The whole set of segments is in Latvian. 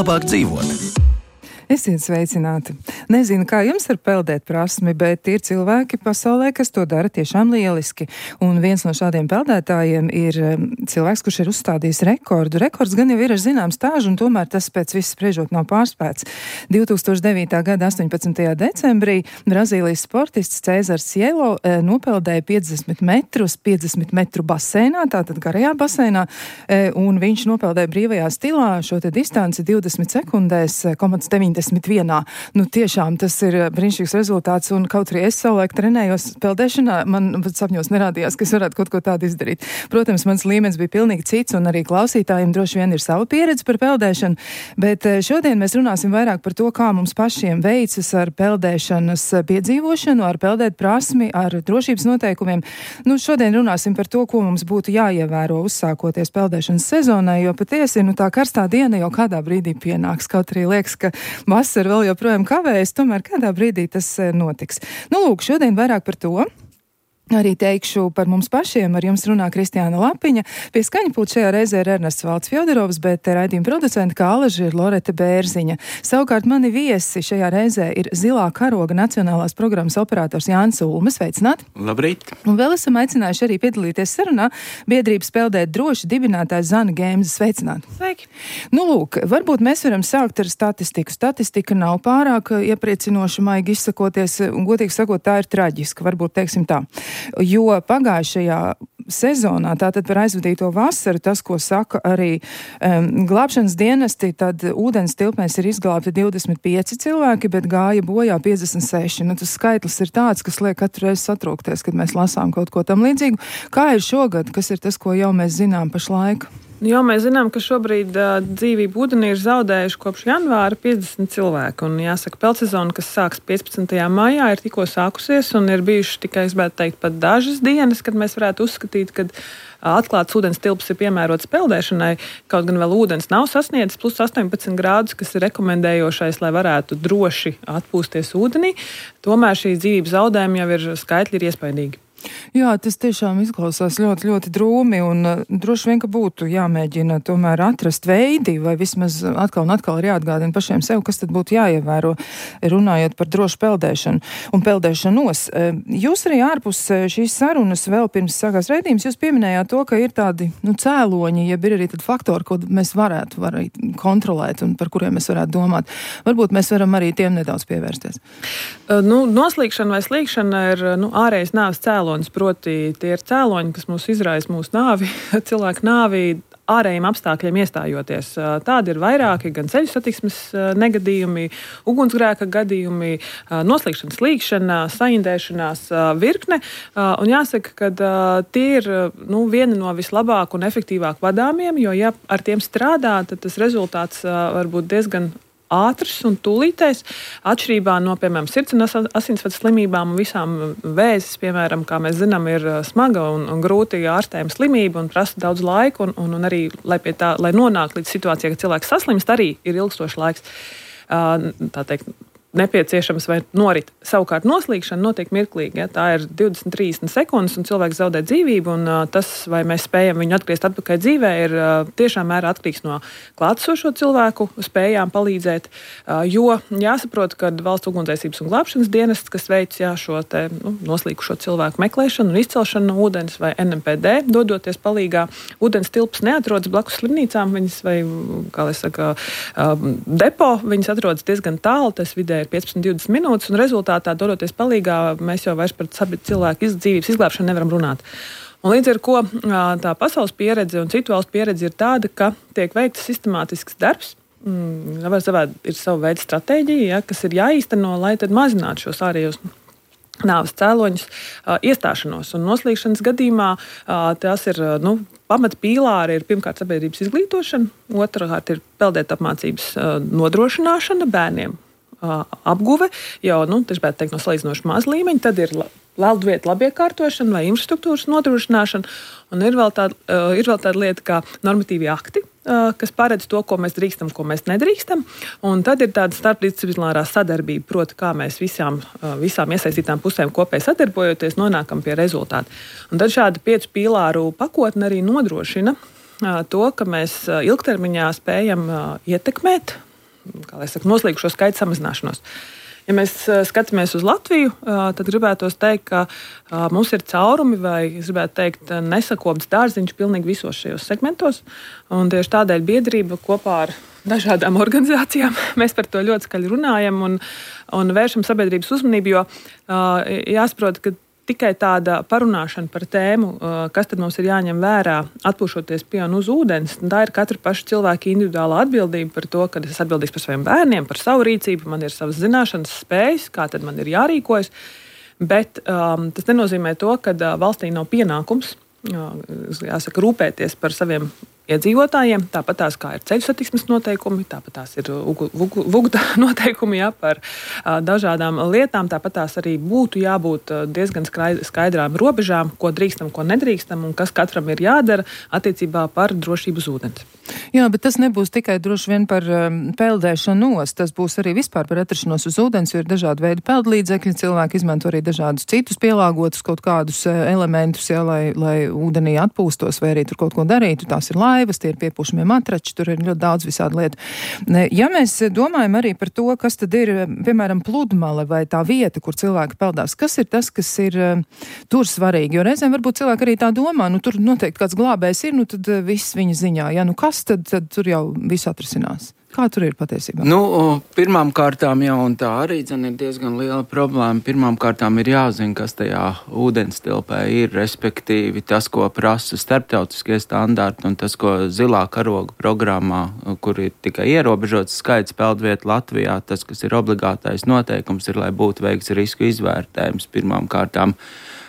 labāk dzīvot. Esiet sveicināti. Nezinu, kā jums ar peldēt prasmi, bet ir cilvēki pasaulē, kas to dara tiešām lieliski. Un viens no šādiem peldētājiem ir cilvēks, kurš ir uzstādījis rekordu. Rekords gan jau ir ar zinām stāžu, un tomēr tas pēc viss spriežot nav pārspēts. 2009. gada 18. decembrī Brazīlijas sportists Cēzars Cielo nopeldēja 50 metrus, 50 metru basēnā, tātad garajā basēnā, un viņš nopeldēja brīvajā stilā šo te distanci 20 sekundēs, 91. Nu, tiešām tas ir brīnišķīgs rezultāts, un kaut arī es savulaik trenējos peldēšanā, man sapņos nerādījās, ka es varētu kaut ko tādu izdarīt. Protams, mans līmenis bija pilnīgi cits, un arī klausītājiem droši vien ir sava pieredze par peldēšanu, bet šodien mēs runāsim vairāk par to, kā mums pašiem veicas ar peldēšanas piedzīvošanu, ar peldēt prasmi, ar drošības noteikumiem. Nu, šodien runāsim par to, ko mums būtu jāievēro uzsākoties peldēšanas sezonai, jo patiesi, tā karstā diena jau kādā brīdī pienāks, kaut arī liekas, ka vasara vēl joprojām kavējas, tomēr kādā brīdī tas notiks. Nu, lūk, šodien vairāk par to. Arī teikšu par mums pašiem, ar jums runā Kristiāna Lapiņa. Pie skaņpulta šajā reizē ir Ernests Valds Fjodorovs, bet raidījuma producenta kā alaži ir Loreta Bērziņa. Savukārt mani viesi šajā reizē ir Zilā karoga nacionālās programmas operators Jānis Ulmes. Sveicināti! Labrīt! Un vēl esam aicinājuši arī piedalīties sarunā biedrības Peldēt droši dibinātājs Zana Gēmze. Sveicināti! Sveiki! Nu, lūk, varbūt mēs varam sākt ar statistiku. Statistika nav pārāk iepriecinoša, maigi izsakoties, un godīgi sakot, tā ir traģiska, varbūt teiksim tā. Jo pagājušajā sezonā, tātad par aizvadīto vasaru, tas, ko saka arī glābšanas dienesti, tad ūdens tilpnēs ir izglābti 25 cilvēki, bet gāja bojā 56. Nu, tas skaitlis ir tāds, kas liek katru reizi satrūkties, kad mēs lasām kaut ko tam līdzīgu. Kā ir šogad, kas ir tas, ko jau mēs zinām pašlaik? Jo mēs zinām, ka šobrīd dzīvību ūdenī ir zaudējuši kopš janvāra 50 cilvēki. Un jāsaka, peldsezona, kas sāks 15. maijā, ir tikko sākusies un ir bijuši tikai, es gribētu teikt, pat dažas dienas, kad mēs varētu uzskatīt, ka atklāts ūdens tilps ir piemērots peldēšanai, kaut gan vēl ūdens nav sasniedzis plus 18 grādus, kas ir rekomendējošais, lai varētu droši atpūsties ūdenī. Tomēr šī dzīvības zaudējumi jau ir skaitļi ir iespaidīgi. Jā, tas tiešām izklausās ļoti, ļoti drūmi, un droši vien, ka būtu jāmēģina tomēr atrast veidi, vai vismaz atkal un atkal ir jāatgādina pašiem sev, kas tad būtu jāievēro, runājot par drošu peldēšanu un peldēšanos. Jūs arī ārpus šīs sarunas vēl pirms sākās raidījums, jūs pieminējāt to, ka ir tādi, cēloņi, ja ir arī tad faktori, ko mēs varētu kontrolēt un par kuriem mēs varētu domāt. Varbūt mēs varam arī tiem nedaudz pievērsties. Noslīkšana vai slīkšana ir ārējais nāves cēlonis. Proti, tie ir cēloņi, kas mūs izraisa mūsu nāvi, cilvēku nāvi ārējiem apstākļiem iestājoties. Tādi ir vairāki, gan ceļu satiksmes negadījumi, ugunsgrēka gadījumi, noslīkšana, slīkšana, saindēšanās virkne. Un jāsaka, ka tie ir viena no vislabāk un efektīvāk vadāmiem, jo ja ar tiem strādā, tad tas rezultāts var būt diezgan ātrs un tūlītais, atšķirībā no, piemēram, sirds un asinsvadu slimībām un visām vēzis, piemēram, kā mēs zinām, ir smaga un grūti ārstējama slimība un prasa daudz laika un arī, lai nonāk līdz situācijai, ka cilvēks saslimst, arī ir ilgstošs laiks. Tā teikt, nepieciešams vai norit. Savukārt noslīkšana notiek mirklīgi. Ja? Tā ir 20-30 sekundes un cilvēks zaudē dzīvību, un tas, vai mēs spējam viņu atgriezt atpakaļ dzīvē, ir tiešām mērā atkarīgs no klātesošo cilvēku spējām palīdzēt, jo jāsaprot, ka valsts ugunsdzēsības un glābšanas dienests, kas veic šo te noslīkušo cilvēku meklēšanu un izcelšanu no ūdens, vai NMPD, dodoties palīgā, ūdens tilps neatrodas blakus slimnīcām, viņas vai, kā lai saka, depo, viņas atrodas diezgan tālu, tas vidē 15-20 minūtes, un rezultātā, dodoties palīgā, mēs jau vairs par cilvēku dzīvības izglābšanu nevaram runāt. Un līdz ar ko tā pasaules pieredze un citu valstu pieredze ir tāda, ka tiek veikts sistemātisks darbs, ir sava veida stratēģija, kas ir jāīsteno, lai tad mazinātu šos ārējos nāves cēloņus iestāšanos. Un noslīkšanas gadījumā tās ir, pamatpīlāri ir pirmkārt sabiedrības izglītošana, otrkārt ir peldēt apmācības nodrošināšana bērniem, apguve, jau, tieši teikt, no salīdzinoši maz līmeņa, tad ir leldvietu labiekārtošana vai infrastruktūras nodrošināšana, un ir vēl tāda lieta kā normatīvi akti, kas paredz to, ko mēs drīkstam, ko mēs nedrīkstam, un tad ir tāda starpdisciplinārā sadarbība, proti, kā mēs visām iesaistītām pusēm kopēji sadarbojoties nonākam pie rezultātu. Un tad šāda 5 pīlāru pakotne arī nodrošina to, ka mēs ilgtermiņā spējam ietekmēt noslīkušo skaitu samazināšanos. Ja mēs skatāmies uz Latviju, tad gribētos teikt, ka mums ir caurumi vai, es gribētu teikt, nesakopts dārziņš pilnīgi visos šajos segmentos. Un tieši tādēļ biedrība kopā ar dažādām organizācijām mēs par to ļoti skaļi runājam un vēršam sabiedrības uzmanību, jo jāsaprot, ka tikai tāda parunāšana par tēmu, kas tad mums ir jāņem vērā, atpūšoties pie un uz ūdens, tā ir katra paša cilvēka individuāla atbildība par to, ka es atbildīgs par saviem bērniem, par savu rīcību, man ir savas zināšanas, spējas, kā tad man ir jārīkojas. Bet tas nenozīmē to, ka valstī nav pienākums, jāsaka, rūpēties par saviem iedzīvotājiem, tāpat tās kā ir ceļu satiksmes noteikumi, tāpat tās ir vugda noteikumi par dažādām lietām, tāpat tās arī būtu jābūt diezgan skaidrām robežām, ko drīkstam, ko nedrīkstam un kas katram ir jādara attiecībā par drošību uz ūdens. Jā, bet tas nebūs tikai droši vien par peldēšanos, tas būs arī vispār par atrašanos uz ūdens, jo ir dažādi veidi peldlīdzekļi, cilvēki izmanto arī dažādus citus pielāgotus kaut kādus elementus, lai ūdenī atpūstos vai arī tur kaut ko darītu, tās ir laivas, tie ir piepūšamie matrači, tur ir ļoti daudz visādi lietu. Ja mēs domājam arī par to, kas tad ir, piemēram, pludmale vai tā vieta, kur cilvēki peldās, kas ir tas, kas ir tur svarīgi? Jo reizēm varbūt cilvēki arī tā domā, tur noteikti kāds glābējs ir, tad viss viņa ziņā. Ja, kas tad tur jau viss atrisinās? Kā tur ir patiesībā? Pirmām kārtām jau, un tā arī ir diezgan liela problēma, pirmām kārtām ir jāzina, kas tajā ūdenstilpē ir, respektīvi tas, ko prasa starptautiskie standarti, un tas, ko zilā karoga programmā, kur ir tikai ierobežots skaits peldvietu Latvijā, tas, kas ir obligātais noteikums, ir, lai būtu veikts risku izvērtējums pirmām kārtām.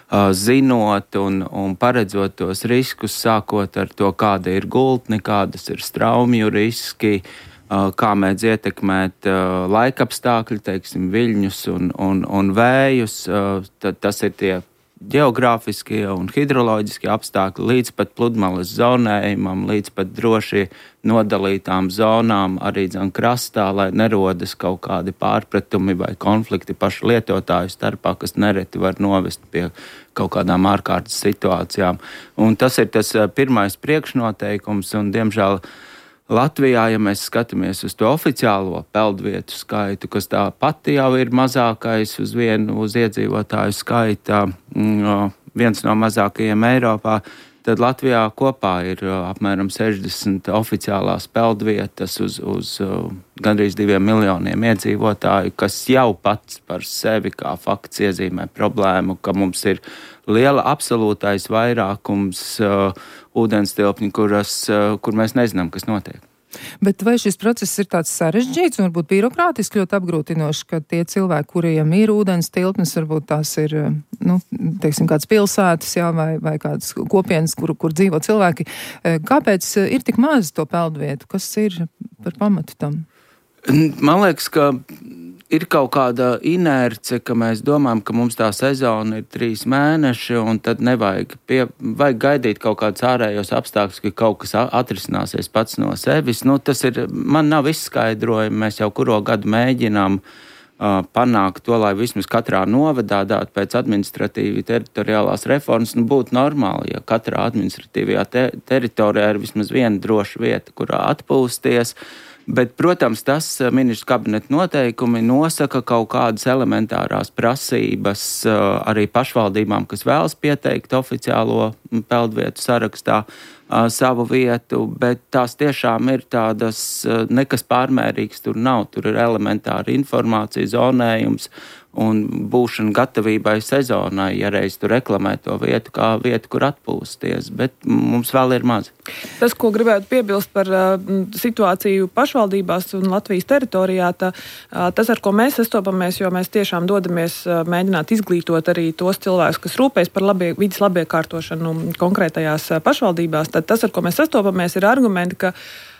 Zinot un paredzot tos riskus, sākot ar to, kāda ir gultne, kādas ir straumju riski, kā mēdz ietekmēt laikapstākļi, teiksim, viļņus un vējus. Tad tas ir tie geogrāfiskie un hidroloģiskie apstākļi līdz pat pludmales zonējumam, līdz pat droši nodalītām zonām arī krastā, lai nerodas kaut kādi pārpratumi vai konflikti pašu lietotāju starpā, kas nereti var novest pie kaut kādām ārkārtas situācijām. Un tas ir tas pirmais priekšnoteikums, un diemžēl Latvijā, ja mēs skatāmies uz to oficiālo peldvietu skaitu, kas tā pati jau ir mazākais uz iedzīvotāju skaita, viens no mazākajiem Eiropā, tad Latvijā kopā ir apmēram 60 oficiālās peldvietas uz gandrīz 2 miljoniem iedzīvotāju, kas jau pats par sevi kā fakts iezīmē problēmu, ka mums ir liela absolūtais vairākums ūdenstilpņu, kur mēs nezinām, kas notiek. Bet vai šis process ir tāds sarežģīts un varbūt birokrātiski ļoti apgrūtinošs, ka tie cilvēki, kuriem ir ūdens tilpnes, varbūt tās ir, teiksim, kādas pilsētas, jā, vai kādas kopienas, kur dzīvo cilvēki, kāpēc ir tik maz to peldvietu? Kas ir par pamatu tam? Man liekas, ka ir kaut kāda inerce, ka mēs domājam, ka mums tā sezona ir 3 mēneši, un tad vajag gaidīt kaut kādus ārējos apstākļus, ka kaut kas atrisināsies pats no sevis. Man nav izskaidrojumi, mēs jau kuro gadu mēģinām panākt to, lai vismaz katrā novadā pēc administratīvi teritoriālās reformas būtu normāli, ja katrā administratīvajā teritorijā ir vismaz viena droša vieta, kurā atpūsties. Bet, protams, tas ministru kabineta noteikumi nosaka kaut kādas elementārās prasības arī pašvaldībām, kas vēlas pieteikt oficiālo peldvietu sarakstā savu vietu, bet tās tiešām ir tādas, nekas pārmērīgs tur nav. Tur ir elementāra informācija, zonējums un būšana gatavībai sezonai, ja reiz tu reklamē to vietu kā vietu, kur atpūsties, bet mums vēl ir maz. Tas, ko gribētu piebilst par situāciju pašvaldībās un Latvijas teritorijā, tas, ar ko mēs sastopamies, jo mēs tiešām dodamies mēģināt izglītot arī tos cilvēkus, kas rūpējas par vides labiekārtošanu konkrētajās pašvaldībās, tad tas, ar ko mēs sastopamies, ir argumenti, ka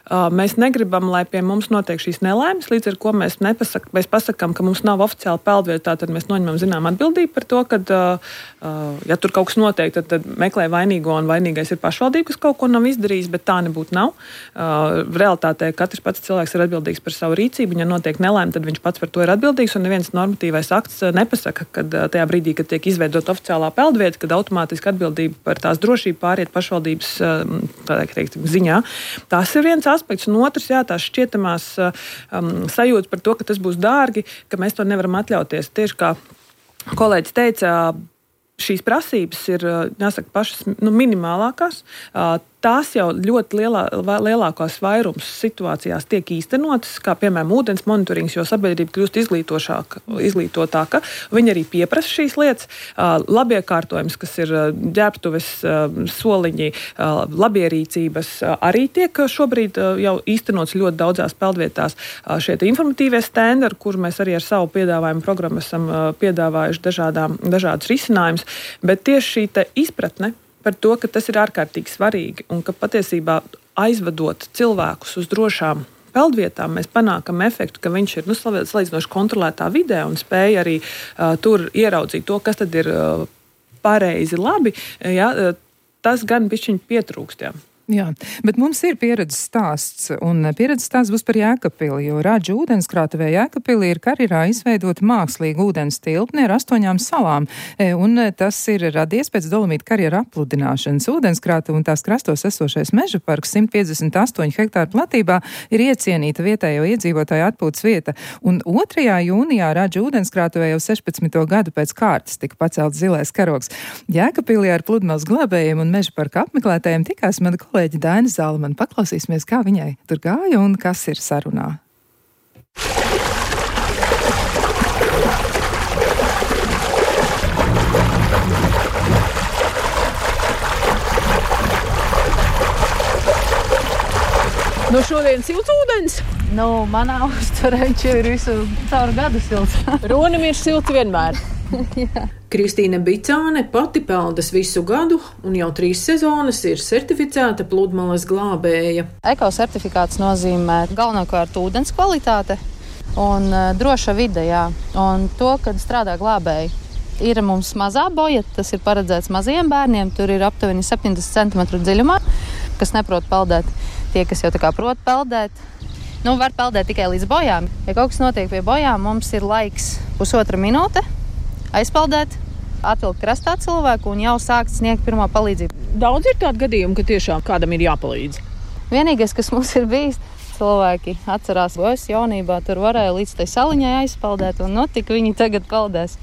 mēs negribam, lai pie mums notiek šīs nelaimes, līdz ar ko mēs pasakām, ka mums nav oficiāla peldvieta, tad mēs noņemam zinām atbildību par to, ka, ja tur kaut kas notiek, tad meklē vainīgo, un vainīgais ir pašvaldība, kas kaut ko nav izdarījis, bet tā nebūtu nav. Realitātē katrs pats cilvēks ir atbildīgs par savu rīcību, un ja notiek nelaime, tad viņš pats par to ir atbildīgs, un neviens normatīvais akts nepasaka, kad tajā brīdī, kad tiek izveidot oficiālā peldvieta, kad automātiski atbildība par tās drošību pāriet pašvaldības ziņā. Tas ir viens aspekts, un otrs, jā, tās šķietamās sajūtas par to, ka tas būs dārgi, ka mēs to nevaram atļauties. Tieši kā kolēģis teica, šīs prasības ir, jāsaka, pašas minimālākās. Tās jau ļoti lielākās vairums situācijās tiek īstenotas, kā piemēram ūdens monitorings, jo sabiedrība kļūst izglītotāka. Viņi arī pieprasa šīs lietas. Labiekārtojums, kas ir ģērbtuves, soliņi, labierīcības, arī tiek šobrīd jau īstenots ļoti daudzās peldvietās. Šie informatīvie stendi, ar kur mēs arī ar savu piedāvājumu programmu esam piedāvājuši dažādus risinājumus, bet tieši šī te izpratne par to, ka tas ir ārkārtīgi svarīgi un ka patiesībā aizvedot cilvēkus uz drošām peldvietām, mēs panākam efektu, ka viņš ir salīdzinoši kontrolētā vidē un spēj arī tur ieraudzīt to, kas tad ir pareizi labi. Ja, tas gan bišķiņ pietrūkst. Jā, bet mums ir pieredzes stāsts, un pieredzes stāsts būs par Jēkabpili, jo Radžu ūdenskrātuvē Jēkabpilī ir karjerā izveidota mākslīga ūdens tilpne ar 8 salām, un tas ir radies pēc Dolomīta karjera apludināšanas. Ūdenskrātuve un tās krastos esošais meža parks 158 hektāru platībā ir iecienīta vietējo iedzīvotāju atpūtas vieta, un 2. jūnijā Radžu ūdenskrātuvē jau 16. gadu pēc kārtas tika pacelts zilais karogs. Jēkabpilī ar pludmales glābējiem un meža parka apmeklētājiem tikās mana kolēģi Daina Zalmane. Paklausīsimies, kā viņai tur gāja un kas ir sarunā. Šodien silts ūdens? Manā uzturē ir visu caur gadu silts. Ronim ir silts vienmēr. Jā. Kristīne Bicāne pati peldas visu gadu un jau 3 sezonas ir certificēta pludmales glābēja. Ekosertifikāts nozīmē galvenokārt ūdens kvalitāte un droša vide, jā. Un to, kad strādā glābēji. Ir mums mazā boja, tas ir paredzēts mazajiem bērniem, tur ir aptuveni 70 cm dziļumā, kas neprot peldēt. Tie, kas jau tā kā prot peldēt, var peldēt tikai līdz bojām. Ja kaut kas notiek pie bojām, mums ir laiks 1,5 minūte aizpeldēt, atvilkt krastā cilvēku un jau sākt sniegt pirmo palīdzību. Daudz ir tādu gadījumu, ka tiešām kādam ir jāpalīdz. Vienīgais, kas mums ir bijis, cilvēki atcerās, ka es jaunībā tur varēju līdz tai saliņai aizpeldēt, un tik viņi tagad peldēs.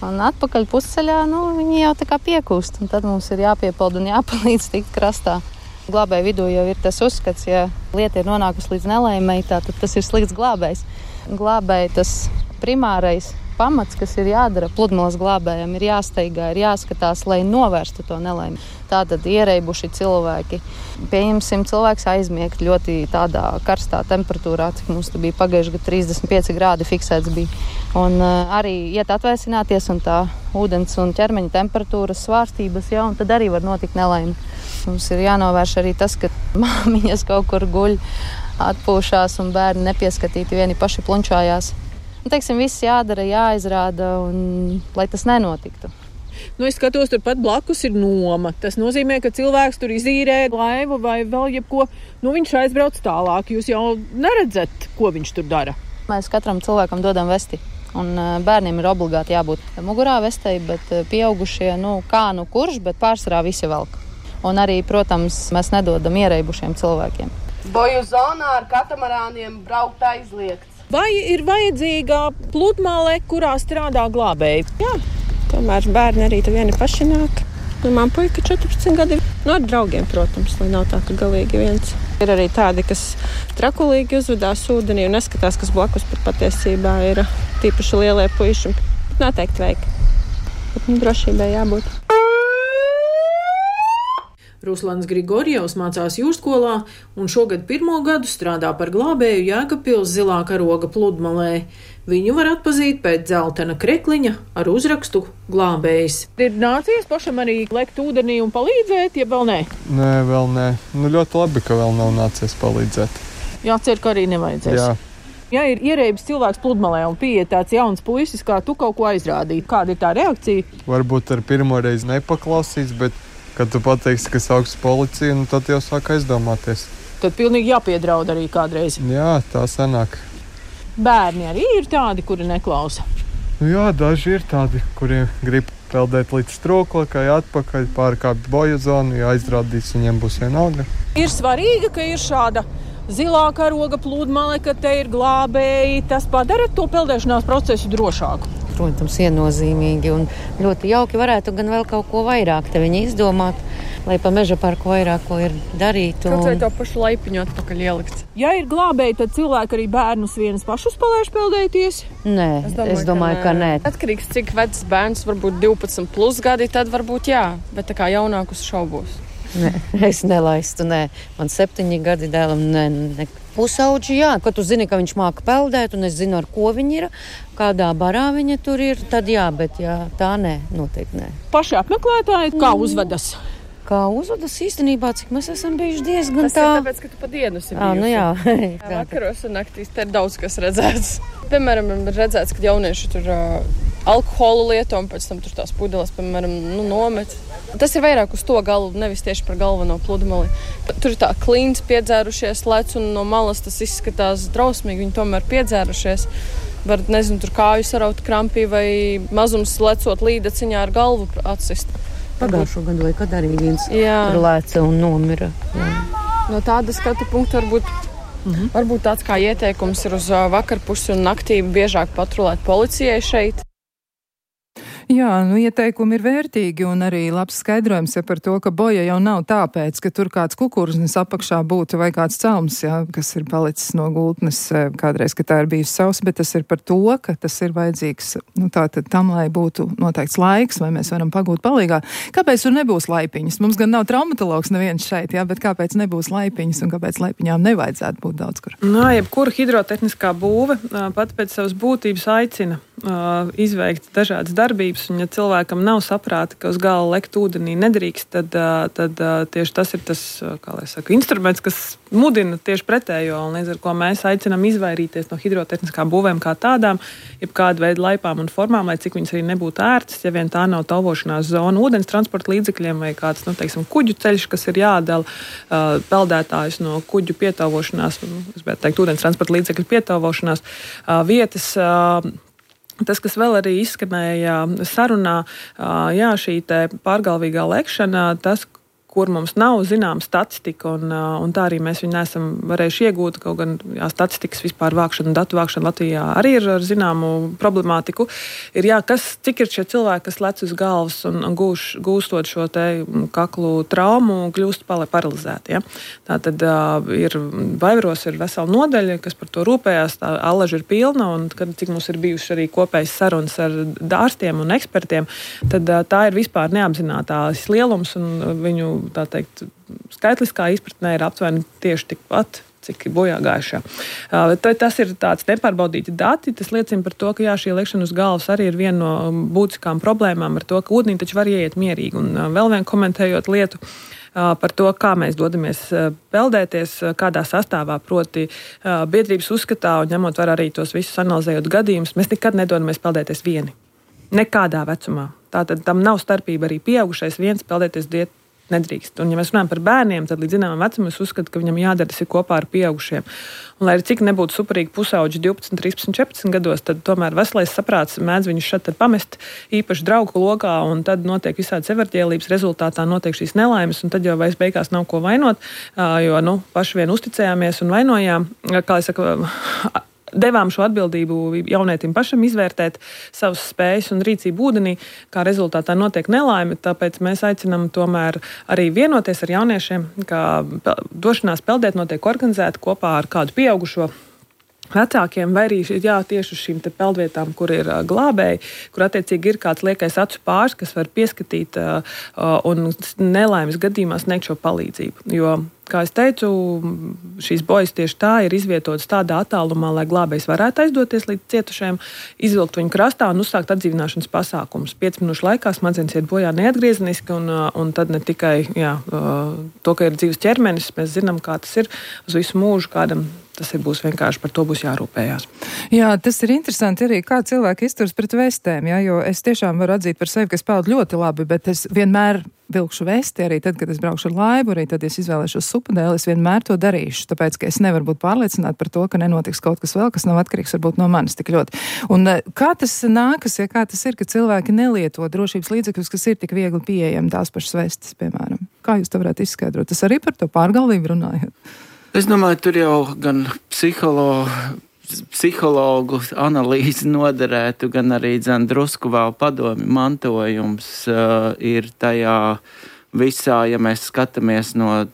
Un atpakaļ pusceļā, viņi jau tā kā piekūst, un tad mums ir jāpiepeld un jāpalīdz tikt krastā. Glābēju vidū jau ir tas uzskats, ja lieta ir nonākusi līdz nelēmei, tad tas ir slikts glābējs. Glābēji tas primārais pamats, kas ir jādara pludmales glābējiem, ir jāsteigā, ir jāskatās, lai novērstu to nelaimi. Tātad iereibuši cilvēki. Pieņemsim, cilvēks aizmiegt ļoti tādā karstā temperatūrā, cik mums bija pagājuši gadu 35 grādi fiksēts bija. Un arī iet atvēsināties un tā ūdens un ķermeņa temperatūras svārstības, un tad arī var notikt nelaimi. Mums ir jānovērš arī tas, ka māmiņas kaut kur guļ, atpūšās un bērni nepieskatīti vieni paši plunčājās. Viss jādara, jāizrāda, un lai tas nenotiktu. Es skatos, turpat blakus ir noma. Tas nozīmē, ka cilvēks tur izīrē laivu vai vēl jebko. Viņš aizbrauc tālāk. Jūs jau neredzat, ko viņš tur dara. Mēs katram cilvēkam dodam vesti. Un bērniem ir obligāti jābūt mugurā vestei, bet pieaugušie, kurš, bet pārsvarā visi velk. Un arī, protams, mēs nedodam iereibušiem cilvēkiem. Boju zonā ar katamarāniem braukt aizliegts. Vai ir vajadzīga pludmale, kurā strādā glābēji? Jā, tomēr bērni arī te vieni paši nāk. Man puika 14 gadi. Ar draugiem, protams, lai nav tā, ka galīgi viens. Ir arī tādi, kas trakulīgi uzvedās ūdenī un neskatās, kas blakus pat patiesībā ir tīpaši lielie puiši. Noteikti vajag. Bet drošībai jābūt. Ruslans Grigorjevs mācās jūrskolā un šogad 1. gadu strādā par glābēju Jēkabpils zilā karoga pludmalē. Viņu var atpazīt pēc dzeltena krekliņa ar uzrakstu glābējs. Ir nācies pašam arī lekt ūdenī un palīdzēt, ja vēl nē? Nē, vēl nē. Ļoti labi, ka vēl nav nācies palīdzēt. Jācer, ka arī nevajadzēs. Jā. Ja ir ierēbis cilvēks pludmalē un pieiet tāds jauns puisis, kā tu kaut ko aizrādīt, kāda ir tā reakcija? Varbūt ar pirmo reizi nepaklausīs, bet kad tu pateiksi, ka sauks policiju, tad jau sāk aizdomāties. Tad pilnīgi jāpiedraud arī kādreiz. Jā, tā sanāk. Bērni arī ir tādi, kuri neklausa? Jā, daži ir tādi, kuri grib peldēt līdz strūklakai, atpakaļ, pārkāpt boju zonu, ja aizrādīs, viņiem būs vienalga. Ir svarīgi, ka ir šāda zilā karoga pludmale, ka te ir glābēji. Tas padara to peldēšanās procesu drošāku. Protams, viennozīmīgi un ļoti jauki varētu gan vēl kaut ko vairāk te viņi izdomāt, lai pa meža parku vairāk ko ir darīt. Kaut vai to pašu laipiņu atpakaļ ielikt. Ja ir glābēji, tad cilvēki arī bērnus vienus pašus palaiž peldēties? Nē, es domāju, ka nē. Atkarīgs, cik vecs bērns, varbūt 12 plus gadi, tad varbūt jā, bet tā kā jaunākus šaubos. Nē, es nelaistu, nē. Man 7 gadi dēlam, ne. Pusauģi, jā, kad tu zini, ka viņš māka peldēt, un es zinu, ar ko viņi ir, kādā barā viņa tur ir, tad jā, bet jā, tā nē, noteikti nē. Paši apmeklētāji, kā uzvedas? Kā uzvedas īstenībā, cik mēs esam bijuši diezgan tā. Tas ir tāpēc, ka tu pa dienu esi bijusi. Nu jā. Vakaros un naktīs te ir daudz kas redzēts. Piemēram, ir redzēts, ka jaunieši tur alkoholu lieto un pēc tam tur tās pudeles, piemēram, nomet. Tas ir vairāk uz to galu, nevis tieši par galveno pludmali. Tur ir tā klīns piedzērušies lec un no malas tas izskatās drausmīgi, viņi tomēr piedzērušies. Var, nezinu, tur kāju saraut krampī vai mazums lecot līdaciņā ar galvu atsist. Pagājušo gadu vai kad arī viens tur lēca un nomira. Jā. No tāda skatu punkta varbūt tāds kā ieteikums ir uz vakarpusi un naktī biežāk patrulēt policijai šeit. Jā, ieteikumi ir vērtīgi un arī labs skaidrojums par to, ka boja jau nav tāpēc, ka tur kāds kukurznis apakšā būtu vai kāds celms, kas ir palicis no gultnes kādreiz, ka tā ir bijusi sausa, bet tas ir par to, ka tas ir vajadzīgs, tātad tam, lai būtu noteikts laiks, vai mēs varam pagūt palīgā. Kāpēc tur nebūs laipiņas? Mums gan nav traumatologs neviens šeit, bet kāpēc nebūs laipiņas un kāpēc laipiņām nevajadzētu būt daudz kur? Jebkura hidrotehniskā būve pat pēc savas būtības aicina izveikt dažādas darbības, un ja cilvēkam nav saprāta, ka uz gala lekt ūdenī nedrīkst, tad tieši tas ir tas, kā lai saka, instruments, kas mudina tieši pretējo, un līdz ar ko mēs aicinām izvairīties no hidrotehniskām būvēm kā tādām, jebkādu veidu laipām un formām, lai cik viņas arī nebūtu ērtas, ja vien tā nav tauvošanās zona ūdens transporta līdzekļiem vai kāds, teiksim, kuģu ceļš, kas ir jādala peldētājus no kuģu pietauvošanās, es gribētu teikt, ūdens transporta līdzekļu pietauvošanās vietas. Tas, kas vēl arī izskanēja sarunā, šī te pārgalvīgā lekšana, tas, kur mums nav zināma statistika, un tā arī mēs viņu neesam varējuši iegūt, kaut gan statistikas vispār vākšana, datu vākšana Latvijā arī ir ar zināmu problemātiku. Ir cik ir šie cilvēki, kas lec uz galvas un gūstot šo te kaklu traumu, kļūst paralizēti. Ja? Tātad Vaivaros ir vesela nodaļa, kas par to rūpējās, tā allaža ir pilna, un cik mums ir bijuši arī kopējas sarunas ar ārstiem un ekspertiem, tad tā ir vispār neapzinātās lielums, un viņu tā teikt, skaitliskā izpratnē ir aptuveni tieši tikpat, cik bojā gājušā. Tas ir tāds nepārbaudīti dati, tas liecina par to, ka šī lekšana uz galvas arī ir viena no būtiskām problēmām ar to, ka ūdenī taču var ieiet mierīgi. Un vēl vien komentējot lietu par to, kā mēs dodamies peldēties, kādā sastāvā, proti biedrības uzskatā un ņemot vērā arī tos visus analizējot gadījumus, mēs nekad nedodamies peldēties vieni. Nekādā vecumā. Tātad tam nav starpība arī pieaugušais viens peldēties nedrīkst. Un, ja mēs runājam par bērniem, tad līdz zināmam vecumam es uzskatu, ka viņam jādara tas ir kopā ar pieaugušiem. Un, lai arī cik nebūtu superīgi pusauģi 12, 13, 14 gados, tad tomēr veselais saprāts mēdz viņus šeit pamest īpaši draugu lokā, un tad notiek visādi severģēlības rezultātā notiek šīs nelaimes, un tad jau vairs beigās nav ko vainot, jo, paši vien uzticējāmies un vainojām, kā es saku, devām šo atbildību jaunietim pašam izvērtēt savas spējas un rīcību ūdenī, kā rezultātā notiek nelaime, tāpēc mēs aicinām tomēr arī vienoties ar jauniešiem, ka došanās peldēt notiek organizēta kopā ar kādu pieaugušo vecākiem, vai arī tieši uz šīm te peldvietām, kur ir glābēji, kur attiecīgi ir kāds liekais acu pāris, kas var pieskatīt un nelaimes gadījumā sniegt šo palīdzību. Jo, kā es teicu, šīs bojas tieši tā ir izvietotas tādā attālumā, lai glābējs varētu aizdoties līdz cietušajiem, izvilkt viņu krastā un uzsākt atdzīvināšanas pasākumus. 5 minūšu laikā smadzenes iet bojā neatgriezeniski, un tad ne tikai to, ka ir dzīves ķermenis, mēs zinām, kā tas ir uz visu mūžu, kādam tas būs vienkārši, par to būs jārūpējās. Jā, tas ir interesanti arī, kā cilvēki izturas pret vestēm, jo es tiešām varu atzīt par sevi, ka es peldu ļoti labi, bet es vienmēr vilkšu vesti arī tad, kad es braukšu ar laivu, arī tad, ja es izvēlēšos supudēli, es vienmēr to darīšu, tāpēc, ka es nevaru būt pārliecināta par to, ka nenotiks kaut kas vēl, kas nav atkarīgs varbūt no manis tik ļoti. Un kā tas nākas, kā tas ir, ka cilvēki nelieto drošības līdzekļus, kas ir tik viegli pieejami, tās pašas vestes, piemēram? Kā jūs to varētu izskaidrot? Tas arī par to pārgalvību runājat? Es domāju, tur jau gan psihologu analīzi noderētu, gan arī drusku vēl padomju mantojums ir tajā visā, ja mēs skatāmies no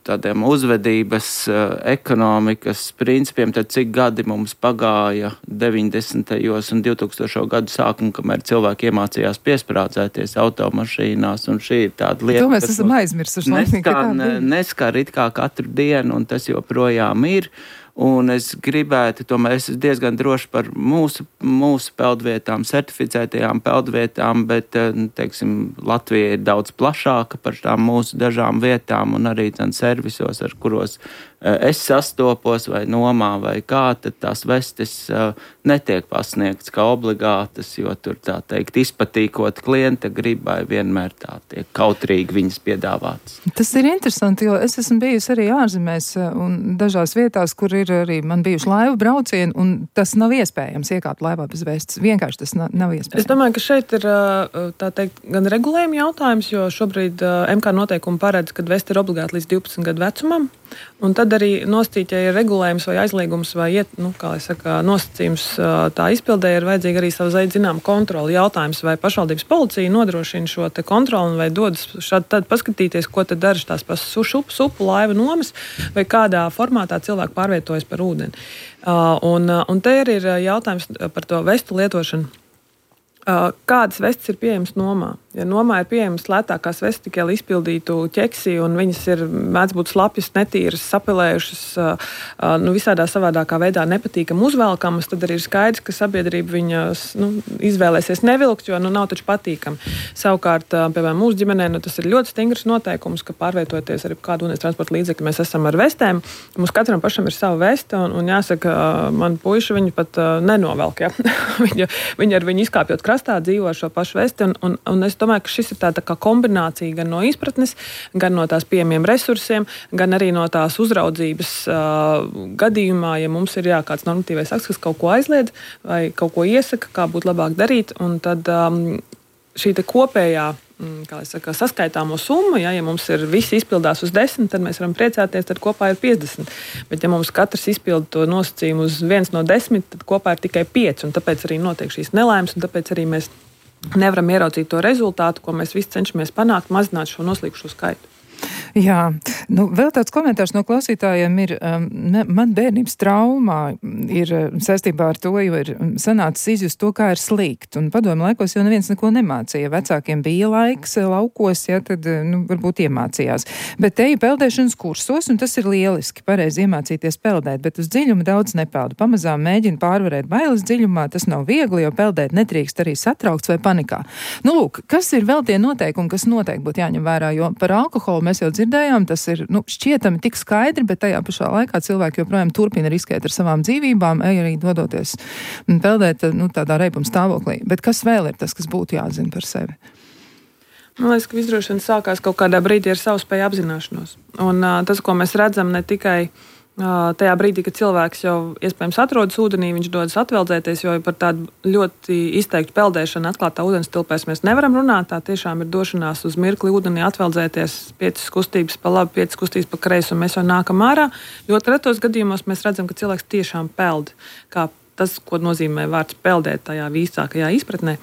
tādiem uzvedības, ekonomikas principiem, tad cik gadi mums pagāja 90. un 2000. gadu sākumu, kamēr cilvēki iemācījās piesprādzēties automašīnās, un šī ir tāda lieta, to mēs esam aizmirsuši. Neskar it kā katru dienu, un tas joprojām ir. Un es gribētu, tomēr es esmu diezgan droši par mūsu peldvietām, certificētajām peldvietām, bet, teiksim, Latvija ir daudz plašāka par tām mūsu dažām vietām un arī servisos, ar kuros es sastopos vai nomā vai kā, tad tās vestes netiek pasniegts kā obligātas, jo tur tā teikt izpatīkot klienta gribai vienmēr tā tiek kautrīgi viņas piedāvātas. Tas ir interesanti, jo es esmu bijusi arī ārzemēs un dažās vietās, kur ir arī man bijuši laivu braucieni, un tas nav iespējams iekāpt laivā bez vestes. Vienkārši tas nav iespējams. Es domāju, ka šeit ir tā teikt gan regulējuma jautājums, jo šobrīd MK noteikumi paredz, ka veste ir obligāti līdz 12 gadu vecumam, un tad arī nostīt, ja ir regulējums vai aizliegums vai nosacījums tā izpildē, ir vajadzīga arī savu zinām kontroli. Jautājums, vai pašvaldības policija nodrošina šo te kontroli vai dodas šādi tad paskatīties, ko tad dara tās supu laivu nomas vai kādā formātā cilvēki pārvietojas par ūdeni. Un te ir jautājums par to vestu lietošanu. Kādas vestes ir pieejamas nomā? Ja nomā ir pieejamas lētākās vestes, tikai lai izpildītu ķeksi, un viņas ir mēdz būt slapjas, netīras, sapilējušas, visādā savādākā veidā nepatīkam uzvelkamas, tad arī ir skaidrs, ka sabiedrība viņas izvēlēsies nevilkt, jo nav taču patīkam. Savukārt, piemēram, mūsu ģimenē tas ir ļoti stingrs noteikums, ka pārvietoties ar kādu ūdens transporta līdzekli, mēs esam ar vestēm. Mums katram pašam ir sava veste, un jāsaka, man puiši viņu pat nenovelk. Ja? Viņi ar viņu izkāpjot krastā dzīvo šo pašu vesti, un es domāju, ka šis ir tāda kā kombinācija gan no izpratnes, gan no tās pieejamiem resursiem, gan arī no tās uzraudzības gadījumā, ja mums ir kāds normatīvais akts, kas kaut ko aizliedz vai kaut ko iesaka, kā būtu labāk darīt, un tad šī te kopējā saskaitāmo summu, ja mums ir visi izpildās uz 10, tad mēs varam priecāties, tad kopā ir 50. Bet ja mums katrs izpilda to nosacījumu uz 1 no 10, tad kopā ir tikai 5, un tāpēc arī notiek šīs nelaimes, un tāpēc arī mēs nevaram ieraudzīt to rezultātu, ko mēs visi cenšamies panākt, mazināt šo noslīkušo skaitu. Jā, vēl tāds komentārs no klausītājiem ir, man bērnības traumā ir saistībā ar to, jo ir sanācis izjust to, kā ir slīgt. Un padomu laikos jau neviens neko nemācīja. Vecākiem bija laiks laukos, tad varbūt iemācījās. Bet te ir peldēšanas kursos, un tas ir lieliski, pareizi iemācīties peldēt, bet uz dziļumu daudz nepeldu. Pamazām mēģina pārvarēt bailes dziļumā, tas nav viegli, jo peldēt netrīkst arī satraukts vai panikā. Lūk, kas ir vēl tie noteikumi, kas noteikti būtu jāņem vērā, jo par alkoholu mēs jau dzirdējām, tas ir šķietami tik skaidri, bet tajā pašā laikā cilvēki joprojām turpina riskēt ar savām dzīvībām, arī dodoties peldēt tādā reibuma stāvoklī. Bet kas vēl ir tas, kas būtu jāzina par sevi? Man liekas, ka izdrošana sākās kaut kādā brīdī ar savspēju apzināšanos. Un tas, ko mēs redzam ne tikai tajā brīdī, kad cilvēks jau iespējams atrodas ūdenī, viņš dodas atveldzēties, jo par tādu ļoti izteiktu peldēšanu atklātā ūdens tilpēs mēs nevaram runāt. Tā tiešām ir došanās uz mirkli ūdenī atveldzēties, 5 kustības pa labi, 5 kustības pa kreisi, un mēs jau nākam ārā. Ļoti retos gadījumos mēs redzam, ka cilvēks tiešām peld, kā tas, ko nozīmē vārds peldēt tajā īsākajā izpratnē.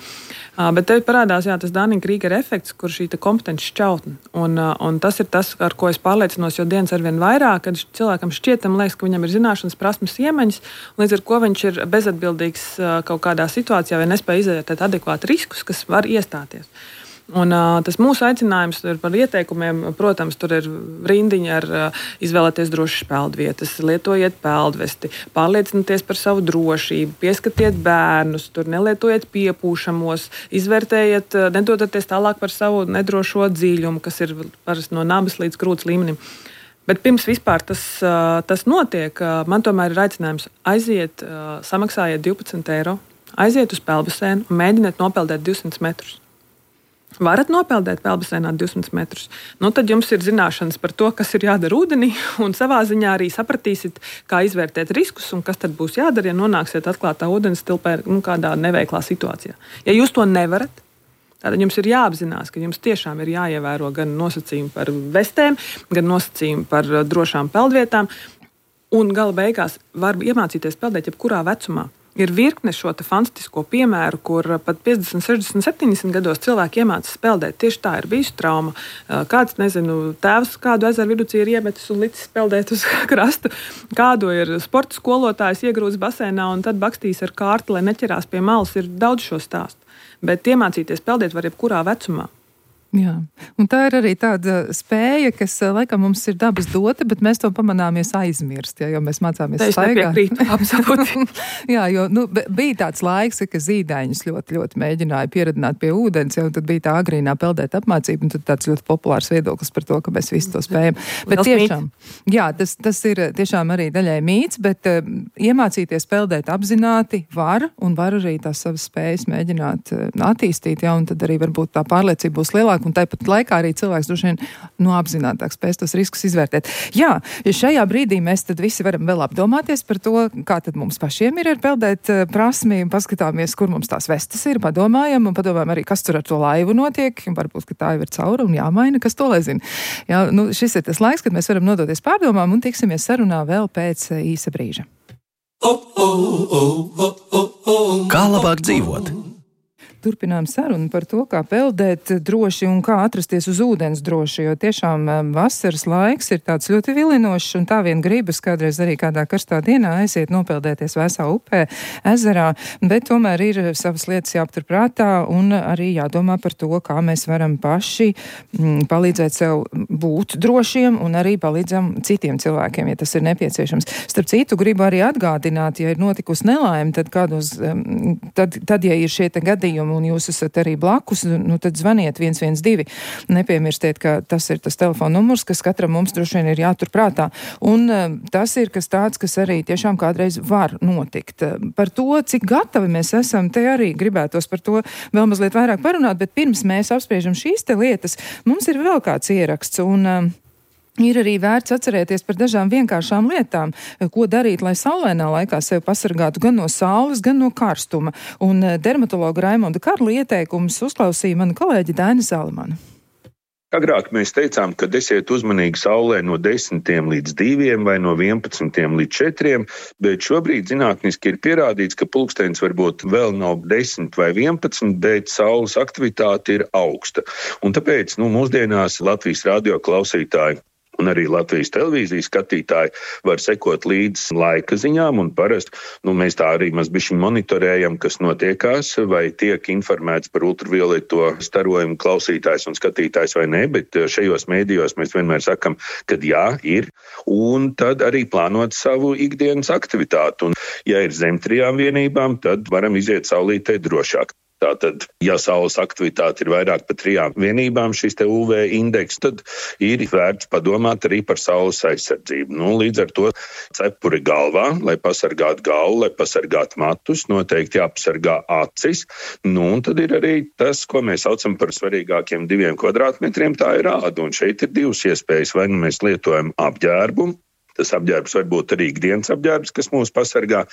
Bet te parādās tas Dunning-Krīgera efekts, kur šī kompetenci šķautne. Un tas ir tas, ar ko es pārliecinos, jo dienas arvien vairāk, kad cilvēkam šķietam liekas, ka viņam ir zināšanas, prasmes, iemaņas, līdz ar ko viņš ir bezatbildīgs kaut kādā situācijā vai nespēja izvērtēt adekvāti riskus, kas var iestāties. Un tas mūsu aicinājums ir par ieteikumiem. Protams, tur ir rindiņa ar izvēlēties drošas peldvietas, lietojiet peldvesti, pārliecinieties par savu drošību, pieskatiet bērnus, tur nelietojiet piepūšamos, izvērtējiet, nedodaties tālāk par savu nedrošo dziļumu, kas ir parasti no nabas līdz krūts līmenim. Bet pirms vispār tas notiek, man tomēr ir aicinājums aiziet, samaksājiet 12 eiro, aiziet uz peldbasēnu un mēģiniet nopeldēt 200 metrus. Varat nopeldēt peldbasēnā 200 metrus, tad jums ir zināšanas par to, kas ir jādara ūdenī, un savā ziņā arī sapratīsiet, kā izvērtēt riskus un kas tad būs jādara, ja nonāksiet atklātā ūdens tilpē kādā neveiklā situācijā. Ja jūs to nevarat, tad jums ir jāapzinās, ka jums tiešām ir jāievēro gan nosacījumi par vestēm, gan nosacījumi par drošām peldvietām. Un gala beigās var iemācīties peldēt jebkurā vecumā. Ir virkne šo fantastisko piemēru, kur pat 50, 60, 70 gados cilvēki iemācās peldēt. Tieši tā ir bijusi trauma. Kāds, tēvs kādu ezeru vidū ir iemetis un licis peldēt uz krastu. Kādu ir sporta skolotājs iegrūzis basēnā un tad bakstījis ar kārti, lai neķerās pie malas. Ir daudz šo stāstu. Bet iemācīties peldēt var jebkurā vecumā. Jā, un tā ir arī tāda spēja, kas laikam mums ir dabas dota, bet mēs to pamanāmies aizmirst, jo mēs mācāmies staigāt. Es nepiekrītu, absolūti. Jā, jo bija tāds laiks, ka zīdaiņus ļoti mēģināja pieradināt pie ūdens, un tad bija tā agrīnā peldēt apmācība, un tad tāds ļoti populārs viedoklis par to, ka mēs visi to spējam. Bet tiešām, jā, tas ir tiešām arī daļai mīts, bet iemācīties peldēt apzināti var, un var arī tās savas spējas mēģināt attīstīt, jā, un tad arī varbūt tā pārliecība būs lielāka. Un tāpat laikā arī cilvēks droši vien apzinātāk spēs tos riskus izvērtēt. Jā, šajā brīdī mēs tad visi varam vēl apdomāties par to, kā tad mums pašiem ir ar peldēt prasmi, paskatāmies, kur mums tās vestas ir, padomājam arī, kas tur ar to laivu notiek, varbūt, ka tā jau ir caura un jāmaina, kas to lai zina. Jā, šis ir tas laiks, kad mēs varam nodoties pārdomām un tiksimies sarunā vēl pēc īsa brīža. Kā labāk dzīvot? Turpinām sarunu par to, kā peldēt droši un kā atrasties uz ūdens droši, jo tiešām vasaras laiks ir tāds ļoti vilinošs un tā vien gribas kādreiz arī kādā karstā dienā aiziet nopeldēties Vēsā upē, ezerā, bet tomēr ir savas lietas jāaptur prātā un arī jādomā par to, kā mēs varam paši palīdzēt sev būt drošiem un arī palīdzam citiem cilvēkiem, ja tas ir nepieciešams. Starp citu, gribu arī atgādināt, ja ir notikusi nelaime, tad ja ir šie te gadījumi, un jūs esat arī blakus, tad zvaniet 112. Nepiemirstiet, ka tas ir tas telefona numurs, kas katram mums droši vien ir jātur prātā. Un tas ir kas tāds, kas arī tiešām kādreiz var notikt. Par to, cik gatavi mēs esam, te arī gribētos par to vēl mazliet vairāk parunāt, bet pirms mēs apspriežam šīs te lietas, mums ir vēl kāds ieraksts, un ir arī vērts atcerēties par dažām vienkāršām lietām, ko darīt, lai saulainā laikā sevi pasargātu gan no saules, gan no karstuma. Un dermatologa Raimonda Karla ieteikumus uzklausīja mana kolēģe Daina Zalamana. Agrāk mēs teicām, ka esiet uzmanīgi saulē no 10 līdz 2 vai no 11 līdz 4, bet šobrīd zinātniski ir pierādīts, ka pulkstenis varbūt vēl nav 10 vai 11, bet saules aktivitāte ir augsta. Un tāpēc mūsdienās Latvijas radio klausītāji un arī Latvijas televīzijas skatītāji var sekot līdz laika ziņām, un parasti mēs tā arī mazbišķi monitorējam, kas notiekās, vai tiek informēts par ultravioleto starojumu klausītājs un skatītājs vai ne, bet šajos mēdījos mēs vienmēr sakam, ka jā, ir, un tad arī plānot savu ikdienas aktivitāti. Un, ja ir zem 3 vienībām, tad varam iziet saulītē drošāk. Tātad, ja saules aktivitāte ir vairāk par 3 vienībām, šis te UV indeks, tad ir vērts padomāt arī par saules aizsardzību. Līdz ar to cepuri galvā, lai pasargātu galvu, lai pasargātu matus, noteikti jāpasargā acis. Un tad ir arī tas, ko mēs saucam par svarīgākiem 2 kvadrātmetriem, tā ir āda. Un šeit ir 2 iespējas, vai mēs lietojam apģērbu. Tas apģērbs var būt arī ikdienas apģērbs, kas mūs pasargā,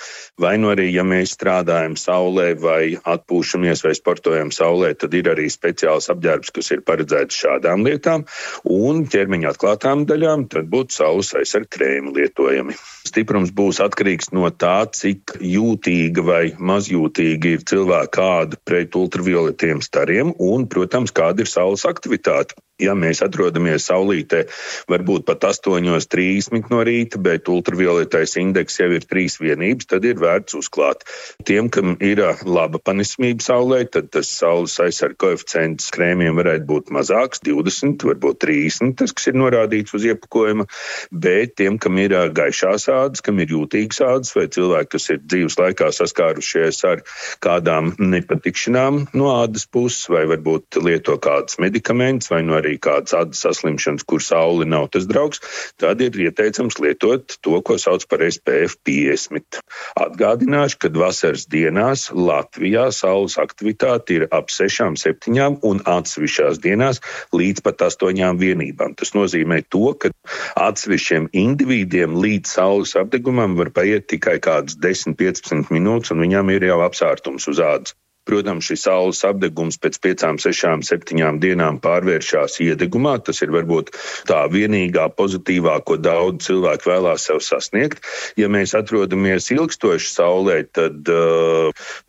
vai arī, ja mēs strādājam saulē vai atpūšamies vai sportojam saulē, tad ir arī speciāls apģērbs, kas ir paredzēts šādām lietām, un ķermeņa atklātām daļām tad būtu saules aizsarga krēmi lietojami. Stiprums būs atkarīgs no tā, cik jūtīga vai mazjūtīga ir cilvēka āda pret ultravioletiem stariem un, protams, kāda ir saules aktivitāte. Ja mēs atrodamies saulītē, varbūt pat 8:30 no rīta, bet ultravioletais indeks jau ir 3 vienības, tad ir vērts uzklāt. Tiem, kam ir laba panesamība saulē, tad tas saules aizsarga koeficients krēmiem varētu būt mazāks, 20, varbūt 30, tas, kas ir norādīts uz iepakojuma, bet tiem, kam ir gaišās ādas, kam ir jūtīgas ādas, vai cilvēki, kas ir dzīves laikā saskārušies ar kādām nepatikšanām no ādas puses, vai varbūt lieto kādas medikamentus, vai no arī kādas ādas saslimšanas, kur saule nav tas draugs, tad ir ieteicams lietot to, ko sauc par SPF 50. Atgādināšu, ka vasaras dienās Latvijā saules aktivitāte ir ap 6, 7 un atsevišķās dienās līdz pat 8 vienībām. Tas nozīmē to, ka atsevišķiem individiem līdz saules apdegumam var paiet tikai kādas 10-15 minūtes, un viņam ir jau apsārtums uz ādas. Protams, šis saules apdegums pēc 5, 6, 7 dienām pārvēršās iedegumā. Tas ir varbūt tā vienīgā pozitīvā, ko daudz cilvēku vēlās sev sasniegt. Ja mēs atrodamies ilgstoši saulē, tad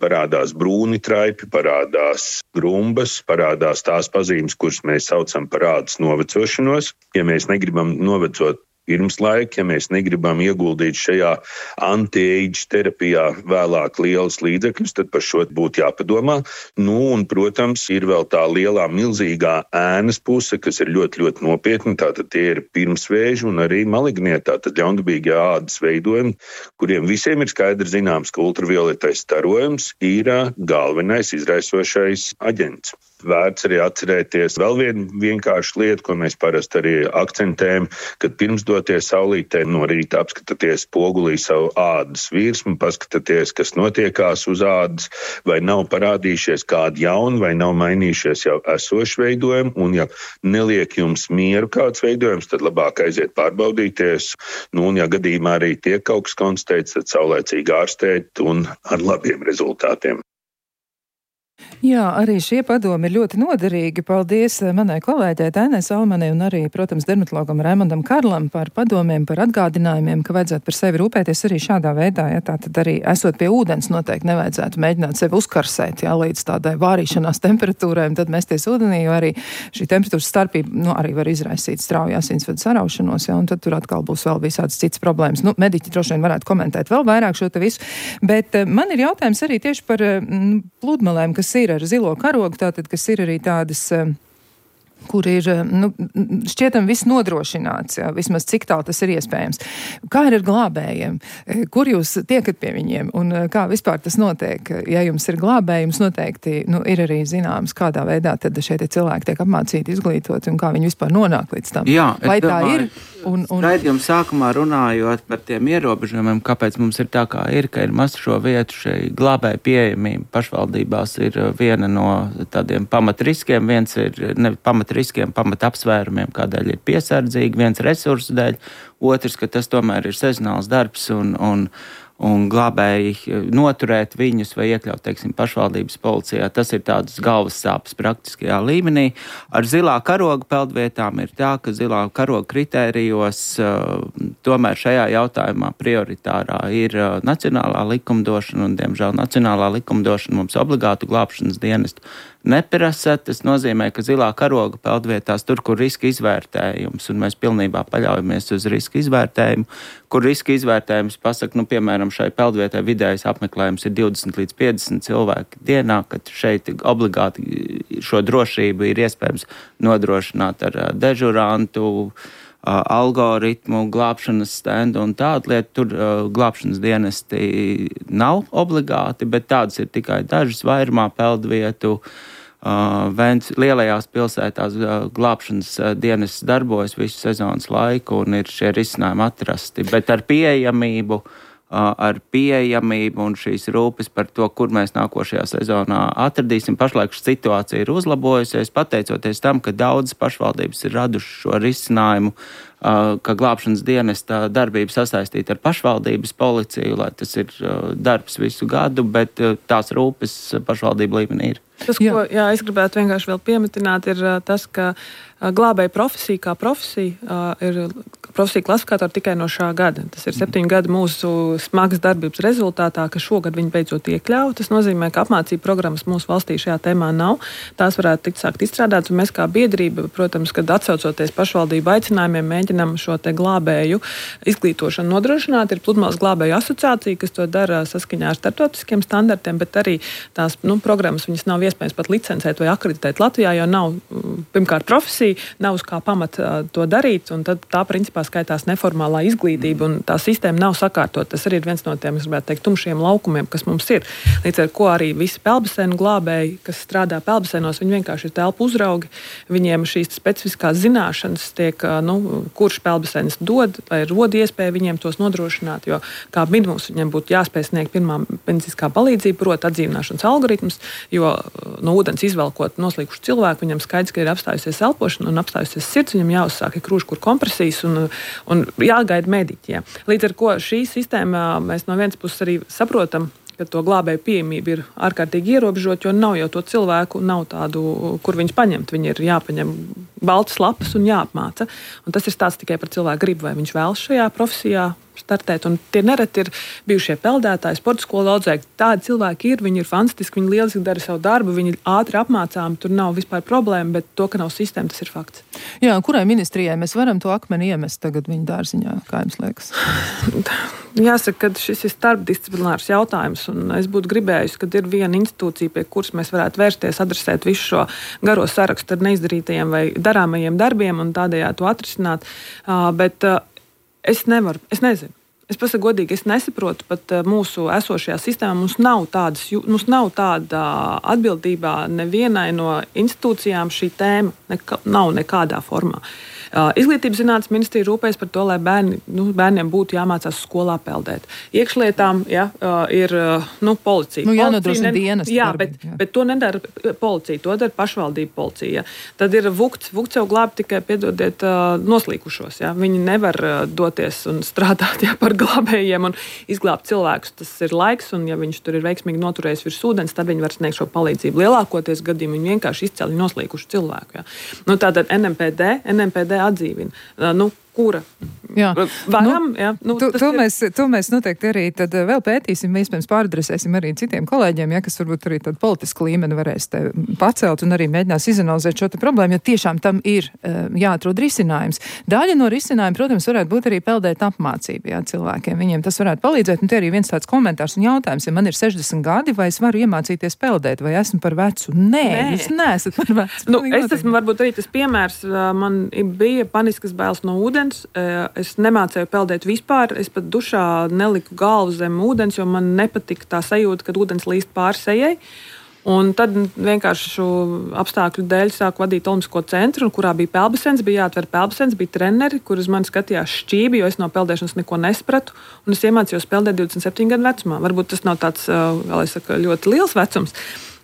parādās brūni traipi, parādās grumbas, parādās tās pazīmes, kuras mēs saucam par ādas novecošanos. Ja mēs negribam novecot pirms laika, ja mēs negribam ieguldīt šajā anti-age terapijā vēlāk lielas līdzekļus, tad par šo būtu jāpadomā. Un, protams, ir vēl tā lielā, milzīgā ēnas puse, kas ir ļoti, ļoti nopietna. Tātad tie ir pirmsvēži un arī malignie, tātad ļaundabīgie ādas veidojumi, kuriem visiem ir skaidri zināms, ka ultravioletais starojums ir galvenais izraisošais aģents. Vērts arī atcerēties vēl vienu vienkāršu lietu, ko mēs parasti arī akcentējam, kad pirms doties saulītē no rīta apskatāties spogulī savu ādas virsmu, paskatāties, kas notiekās uz ādas, vai nav parādījušies kādi jauni, vai nav mainījušies jau esoši veidojumi, un ja neliek jums mieru kāds veidojums, tad labāk aiziet pārbaudīties, un ja gadījumā arī tiek kaut kas konstatēts, tad saulēcīgi ārstēt un ar labiem rezultātiem. Jā, arī šie padomi ir ļoti noderīgi. Paldies manai kolēģei Tainai Salmanai un arī, protams, dermatologam Raimondam Karlam par padomiem, par atgādinājumiem, ka vajadzētu par sevi rūpēties arī šādā veidā. Ja, tātad arī esot pie ūdens noteikti nevajadzētu mēģināt sevi uzkarsēt, ja, līdz tādai vārīšanās temperatūrai, un tad mesties ūdenī, jo arī šī temperatūras starpība arī var izraisīt strauju asinsvadu saraušanos, ja, un tad tur atkal būs vēl visādas citas problēmas. Mediķi droši vien varētu komentēt vēl vairāk šo te visu, bet man ir jautājums arī tieši par pludmalēm, kas ir ar zilo karogu, tātad, kas ir arī tādas, kur ir, šķietam viss nodrošināts, jā, vismaz cik tālu tas ir iespējams. Kā ir ar glābējiem? Kur jūs tiekat pie viņiem? Un kā vispār tas notiek? Ja jums ir glābējums, noteikti, ir arī zināms, kādā veidā tad šie cilvēki tiek apmācīti, izglītoti un kā viņi vispār nonāk līdz tam. Jā, vai tā ir? Raidījuma sākumā runājot par tiem ierobežojumiem, kāpēc mums ir tā, kā ir, ka ir maz šo vietu, šai glābēju pieejamība pašvaldībās ir viena no tādiem pamatriskiem, viens ir pamatriskiem, pamatapsvērumiem, kādēļ ir piesardzīgi, viens resursu dēļ, otrs, ka tas tomēr ir sezonāls darbs un glābēji noturēt viņus vai iekļaut, teiksim, pašvaldības policijā. Tas ir tādas galvas sāpes praktiskajā līmenī. Ar zilā karoga peldvietām ir tā, ka zilā karoga kritērijos tomēr šajā jautājumā prioritārā ir nacionālā likumdošana, un, diemžēl, nacionālā likumdošana mums obligātu glābšanas dienestu neprasa. Tas nozīmē, ka zilā karoga peldvietās tur, kur riska izvērtējums, un mēs pilnībā paļaujamies uz riska izvērtējumu, kur riska izvērtējums pasaka, piemēram, šai peldvietai vidējais apmeklējums ir 20 līdz 50 cilvēki dienā, kad šeit obligāti šo drošību ir iespējams nodrošināt ar dežurantu, algoritmu, glābšanas stendu un tādu lietu. Tur glābšanas dienesti nav obligāti, bet tādas ir tikai dažas vairumā peldvietu. Lielajās pilsētās glābšanas dienests darbojas visu sezonas laiku un ir šie risinājumi atrasti, bet ar pieejamību un šīs rūpes par to, kur mēs nākošajā sezonā atradīsim. Pašlaik situācija ir uzlabojusies, pateicoties tam, ka daudzas pašvaldības ir raduši šo risinājumu, ka glābšanas dienesta darbība sasaistīta ar pašvaldības policiju, lai tas ir darbs visu gadu, bet tās rūpes pašvaldību līmenī ir. Tas, ko es gribētu vienkārši vēl piemetināt, ir tas, ka glābēja profesija kā profesija ir profesija klasifikātori tikai no šā gada. Tas ir 7 gadu mūsu smagas darbības rezultātā, ka šogad viņi beidzot iekļauj. Tas nozīmē, ka apmācību programmas mūsu valstī šajā tēmā nav. Tās varētu tikt sākt izstrādāt, un mēs kā biedrība, protams, kad atsaucoties pašvaldību aicinājumiem, mēģinām šo te glābēju izglītošanu nodrošināt. Ir Pludmales glābēju asociācija, kas to dara saskaņā ar starptautiskiem standartiem, bet arī tās programmas viņas nav iespējams pat licencēt vai akreditēt Latvijā, jo nav pirmkārt profesija, nav uz kā pamata to darīt, un tad tā principā skaitās neformālā izglītība, un tā sistēma nav sakārtot. Tas arī ir viens no tiem, es gribētu teikt, tumšiem laukumiem, kas mums ir. Līdz ar ko arī visi peldbaseinu glābēji, kas strādā peldbaseinos, viņi vienkārši ir telpu uzraugi, viņiem šīs specifiskās zināšanas tiek, kurš peldbaseinis dod, vai rod iespēju viņiem tos nodrošināt, jo kā minimums viņiem būtu jāspēj sniegt pirmā medicīniskā palīdzība, proti atdzīvināšanas algoritmus, jo no ūdens izvelkot noslīkušu cilvēku, viņam skaidrs, ka ir apstājusies elpošana un apstājusies sirds, viņam jāuzsāk krūškur kompresijas un jāgaida mediķi. Ja. Līdz ar ko šī sistēma mēs no vienas puses arī saprotam, ka to glābēju pieejamība ir ārkārtīgi ierobežota, jo nav jau to cilvēku, nav tādu, kur viņus paņemt. Viņi ir jāpaņem baltas lapas un jāapmāca. Un tas ir stāsts tikai par cilvēku gribu, vai viņš vēlas šajā profesijā startēt. Un tie nereti ir bijušie peldētāji, sporta skolu audzēji. Tādi cilvēki ir, viņi ir fantastiski, viņi lieliski dara savu darbu, viņi ir ātri apmācāmi, tur nav vispār problēma, bet to, ka nav sistēma, tas ir fakts. Jā, kurai ministrijai mēs varam to akmeni iemest tagad viņa dārziņā, kā jums liekas? Jāsaka, ka šis ir starpdisciplinārs jautājums, un es būtu gribējusi, ka ir viena institūcija, pie kuras mēs varētu vērsties, adresēt visu šo garo sarakstu ar neizdarītajiem vai darāmajiem darbiem un tādējādi to atrisināt. Bet es nezinu. Es pasaku godīgi, es nesaprotu pat mūsu esošajā sistēmā. Mums nav tāda atbildībā nevienai no institūcijām šī tēma nav nekādā formā. Izglītības zinātnes ministrija rūpējas par to, lai bērniem būtu jāmācās skolā peldēt. Iekšlietām ir policija. Jānodrošina dienas. Jā, bet to nedara policija, to dara pašvaldība policija. Tad ir vukts jau glāb tikai, piedodiet, noslīkušos. Ja? Viņi nevar doties un strādāt par glābējiem un izglābt cilvēkus. Tas ir laiks, un ja viņš tur ir veiksmīgi noturējis virs ūdens, tad viņi var sniegt šo palīdzību. Lielākoties gadījumi viņi vienkārši izcēla noslīkušu cilvēku. Ja? Tātad NMPD atdzīvina. Kura? Jā. Varam, to mēs noteikti arī tad vēl pētīsim, iespējams pāradresēsim arī citiem kolēģiem, kas varbūt arī tādu politisku līmeni varēs te pacelt un arī mēģinās izanalizēt šo te problēmu, jo tiešām tam ir jāatrod risinājums. Daļa no risinājuma, protams, varētu būt arī peldēt apmācība cilvēkiem. Viņiem tas varētu palīdzēt, un te arī viens tāds komentārs un jautājums, ja man ir 60 gadi, vai es varu iemācīties peldēt, vai esmu par vecu? Nē. Jūs neesat par vecu. Es esmu varbūt arī tas piemērs, man bija paniskas bailes no ūdens. Es nemācēju peldēt vispār. Es pat dušā neliku galvu zem ūdens, jo man nepatika tā sajūta, kad ūdens līst pāri sejai. Un tad vienkārši apstākļu dēļ sāku vadīt Olimpisko centru, kurā bija peldbasens, bija jāatver peldbasens, bija treneri, kur uz mani skatījās šķībi, jo es no peldēšanas neko nespratu. Un es iemācījos peldēt 27 gadu vecumā. Varbūt tas nav tāds, ļoti liels vecums,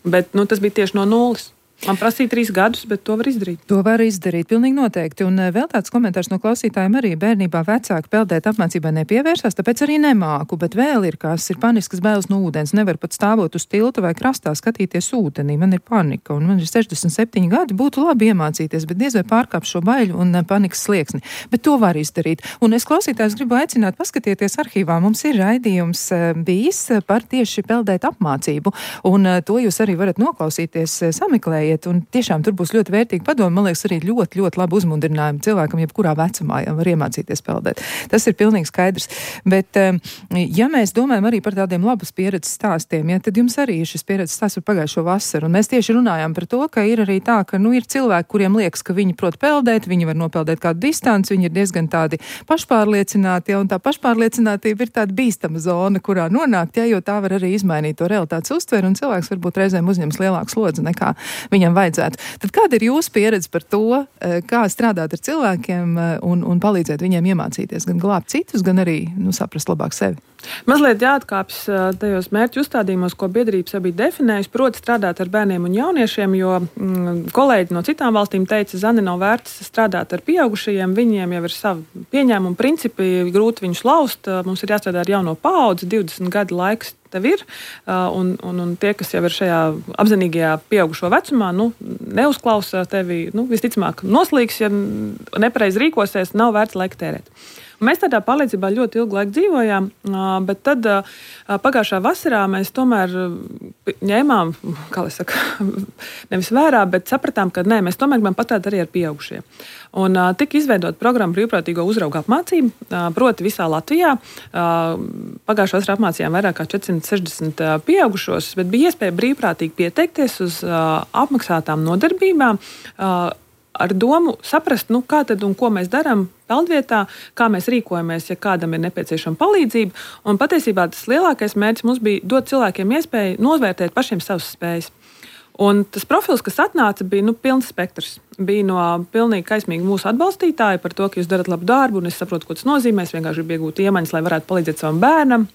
bet tas bija tieši no nulles. Man prasīja 3 gadus, bet to var izdarīt. To var izdarīt, pilnīgi noteikti. Un vēl tāds komentārs no klausītājiem arī bērnībā vecāki peldēt apmācībai nepievērsās, tāpēc arī nemāku, bet vēl ir paniskas bailes no ūdens. Nevar pat stāvot uz tilta vai krastā skatīties ūdenī. Man ir panika, un man ir 67 gadi, būtu labi iemācīties, bet diez vai pārkāpt šo baiļu un panikas slieksni. Bet to var izdarīt. Un es klausītājus gribu aicināt paskatieties arhīvā. Mums ir raidījums bijis par tieši peldēt apmācību, un to jūs arī varat noklausīties, sameklējiet. Un tiešām tur būs ļoti vērtīgi padomi. Man liekas, arī ļoti, ļoti labi uzmundrinājumi cilvēkam, jebkurā vecumā var iemācīties peldēt. Tas ir pilnīgi skaidrs. Bet, ja mēs domājam arī par tādiem labas pieredzes stāstiem, tad jums arī ir šis pieredzes stāsts par pagājušo vasaru. Un mēs tieši runājām par to, ka ir arī tā, ka ir cilvēki, kuriem liekas, ka viņi prot peldēt, viņi var nopeldēt kādu distanci, viņi ir diezgan tādi pašpārliecināti, un tā pašpārliecinātība ir tāda bīstama zona, kurā nonākt, jo tā var arī izmainīt to realitātes uztveri, un cilvēks varbūt reizēm uzņems lielāku slodzi nekā viņam vajadzētu. Tad kāda ir jūsu pieredze par to, kā strādāt ar cilvēkiem un palīdzēt viņiem iemācīties, gan glābt citus, gan arī saprast labāk sevi? Mazliet jāatkāpjas tajos mērķu uzstādījumos, ko biedrības bija definējusi, proti strādāt ar bērniem un jauniešiem, jo kolēģi no citām valstīm teica, Zani, nav vērts strādāt ar pieaugušajiem, viņiem jau ir savi pieņēmumi, principi, grūti viņus laust, mums ir jāstrādā ar jauno paudzi, 20 gadu laiks tev ir, un tie, kas jau ir šajā apzinīgajā pieaugušo vecumā, neuzklausa tevi, visticamāk noslīgs, ja nepareizi rīkosies, nav vērts laika tērēt. Mēs tādā palīdzībā ļoti ilgu laiku dzīvojām, bet tad pagājušā vasarā mēs tomēr ņēmām, nevis vērā, bet sapratām, ka nē, mēs tomēr gribam pastrādāt arī ar pieaugušiem. Un tika izveidota programma brīvprātīgo uzraugu apmācību, proti visā Latvijā. Pagājušā vasarā apmācījām vairāk kā 460 pieaugušos, bet bija iespēja brīvprātīgi pieteikties uz apmaksātām nodarbībām, ar domu saprast, kā tad un ko mēs darām peldvietā, kā mēs rīkojamies, ja kādam ir nepieciešama palīdzība. Un patiesībā tas lielākais mērķis mums bija dot cilvēkiem iespēju novērtēt pašiem savas spējas. Un tas profils, kas atnāca, bija pilns spektrs. Bija no pilnīgi kaismīgi mūsu atbalstītāji par to, ka jūs darat labu darbu, un es saprotu, ko tas nozīmē. Es vienkārši gribu iegūt iemaņas, lai varētu palīdzēt savam bērnam.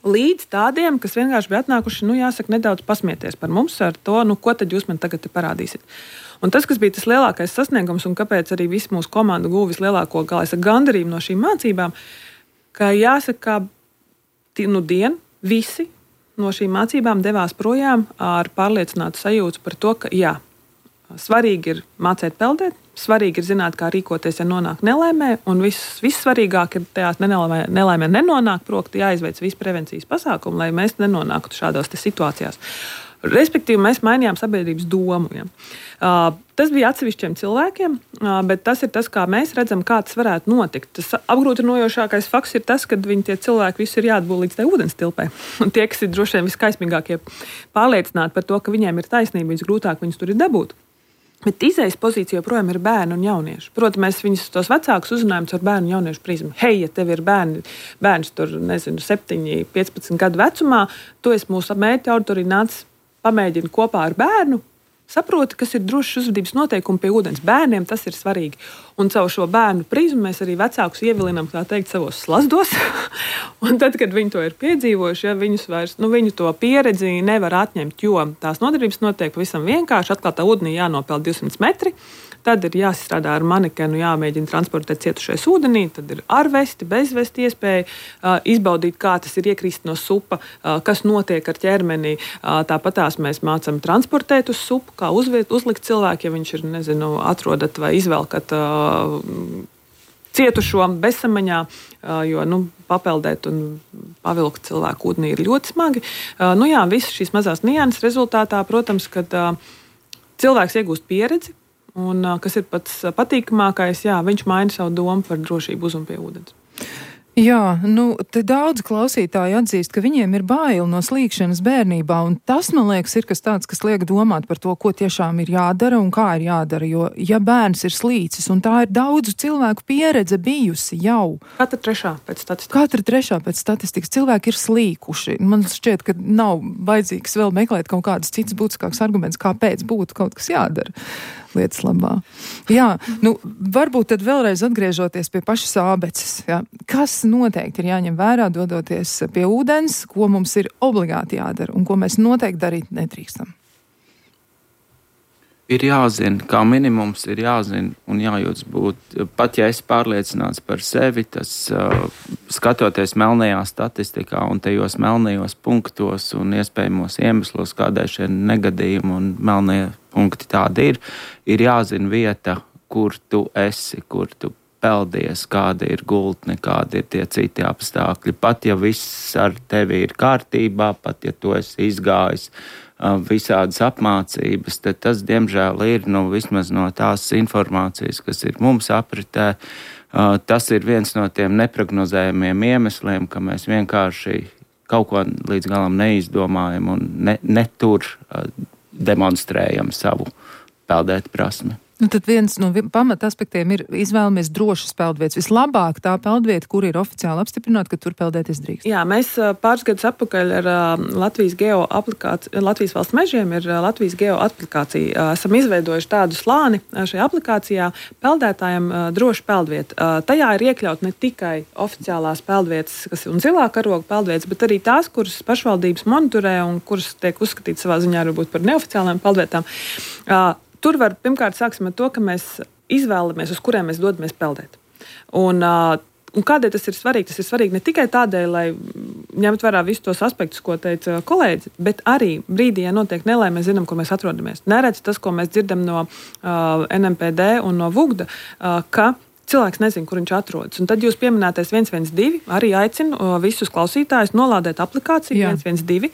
Līdz tādiem, kas vienkārši bija atnākuši, jāsaka, nedaudz pasmieties par mums ar to, ko tad jūs man tagad parādīsiet. Un tas, kas bija tas lielākais sasniegums, un kāpēc arī visa mūsu komanda guva vislielāko gandarījumu no šīm mācībām, ka jāsaka, visi no šīm mācībām devās projām ar pārliecinātu sajūtu par to, ka jā, svarīgi ir mācīt peldēt, svarīgi ir zināt, kā rīkoties, ja nonāk nelaimē, un vissvarīgāk ir tajās nelaimē nenonāk, proti jāizveic visi prevencijas pasākumi, lai mēs nenonāktu šādās situācijās. Respektīvi, mēs mainījām sabiedrības domu. Ja. Tas bija atsevišķiem cilvēkiem, bet tas ir tas, kā mēs redzam, kā tas varētu notikt. Tas apgrūtinojošākais fakts ir tas, ka tie cilvēki visi ir jāatbūt līdz tai ūdens tilpē. Un tie, kas ir droši vien viskaismīgākie pārliecināti par to, ka viņiem ir taisnība, visgrūtāk viņus tur ir dabūt. Bet izējas pozīcija joprojām ir bērni un jaunieši. Protams, mēs viņus tos vecākus uzrunājam caur bērnu un jauniešu prizmu. Hei, ja tev ir bērns tur, 7, 15 gadu vecumā, tu esi mūsu mērķa auditorija, nāc pamēģini kopā ar bērnu, saproti, kas ir drošas uzvedības noteikumi pie ūdens. Bērniem tas ir svarīgi. Un caur šo bērnu prizmu mēs arī vecākus ievilinām, tā teikt, savos slazdos. Un tad, kad viņi to ir piedzīvojuši, ja viņus vairs, viņu to pieredzi nevar atņemt, jo tās nodarbības notiek pavisam vienkārši. Atklātā ūdenī jānopeld 200 metri. Tad ir jāstrādā ar manekenu, jāmēģina transportēt cietušais ūdenī, tad ir ar vesti, bez vesti iespēja izbaudīt, kā tas ir iekrist no supa, kas notiek ar ķermeni. Tāpatās mēs mācām transportēt uz supu, kā uzlikt cilvēku, ja viņš ir, atrodat vai izvelkat cietušo bezsamaņā, jo papeldēt un pavilkt cilvēku ūdenī ir ļoti smagi. Visas šīs mazās nianses rezultātā, protams, kad cilvēks iegūst pieredzi, un kas ir pats patīkamākais, viņš maina savu domu par drošību uz un pie ūdens. Jā, te daudz klausītāji atzīst, ka viņiem ir bail no slīkšanas bērnībā, un tas, man liekas, ir kas tāds, kas liek domāt par to, ko tiešām ir jādara un kā ir jādara, jo, ja bērns ir slīcis, un tā ir daudzu cilvēku pieredze bijusi jau. Katra trešā pēc statistikas cilvēki ir slīkuši. Man šķiet, ka nav vajadzīgs vēl meklēt kaut kādas citas būtiskākas arguments, kāpēc būtu kaut kas jādara lietas labā. Jā, varbūt tad vēlreiz atgriežoties pie pašas ābeces. Jā. Kas noteikti ir jāņem vērā, dodoties pie ūdens, ko mums ir obligāti jādara un ko mēs noteikti darīt nedrīkstam? Ir jāzina, kā minimums ir jāzina un jājūtas būt. Pat ja esi pārliecināts par sevi, tas skatoties melnajā statistikā un tajos melnajos punktos un iespējamos iemeslos, kādēļ šie negadījumi un melnie punkti tādi ir jāzina vieta, kur tu esi, kur tu peldies, kāda ir gultne, kādi ir tie citi apstākļi. Pat ja viss ar tevi ir kārtībā, pat ja tu esi izgājis visādas apmācības, tad tas, diemžēl, ir vismaz no tās informācijas, kas ir mums apritē. Tas ir viens no tiem neprognozējumiem iemesliem, ka mēs vienkārši kaut ko līdz galam neizdomājam un ne tur demonstrējam savu peldēt prasmi. Tad viens no pamata aspektiem ir izvēlamies drošas peldvietas. Vislabāk tā peldvieta, kur ir oficiāli apstiprināta, ka tur peldēties drīkst. Jā, mēs pāris gadus atpakaļ ar Latvijas valsts mežiem ir Latvijas geo aplikācija. Esam izveidojuši tādu slāni šajā aplikācijā peldētājiem droša peldvieta. Tajā ir iekļaut ne tikai oficiālās peldvietas, kas ir un zilā karoga peldvietas, bet arī tās, kuras pašvaldības monitorē un kuras tiek uzskatītas savā ziņā varbūt par neoficiālām peldvietām. Tur var, pirmkārt, sāksim ar to, ka mēs izvēlamies, uz kuriem mēs dodamies peldēt. Un kādēļ tas ir svarīgi? Tas ir svarīgi ne tikai tādēļ, lai ņemt vērā visus tos aspektus, ko teica kolēģi, bet arī brīdī, ja notiek nelaime, mēs zinām, kur mēs atrodamies. Neredz tas, ko mēs dzirdam no NMPD un no VUGDA, ka cilvēks nezina, kur viņš atrodas. Un tad jūs pieminētais 112 arī aicinu visus klausītājus nolādēt aplikāciju 112,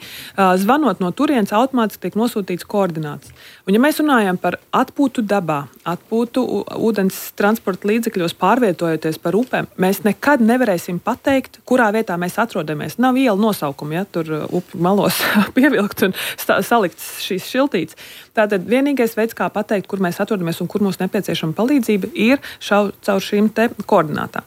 zvanot no turienes automātiski tiek nosūtīts koordināts. Un ja mēs runājam par atpūtu dabā, atpūtu ūdens transporta līdzekļos pārvietojoties par upēm, mēs nekad nevarēsim pateikt, kurā vietā mēs atrodamies. Nav iela nosaukumi, ja tur upju malos pievilkt un salikts šīs šiltītes. Tātad vienīgais veids, kā pateikt, kur mēs atrodamies un kur mums nepieciešama palīdzība, ir caur šīm te koordinātām.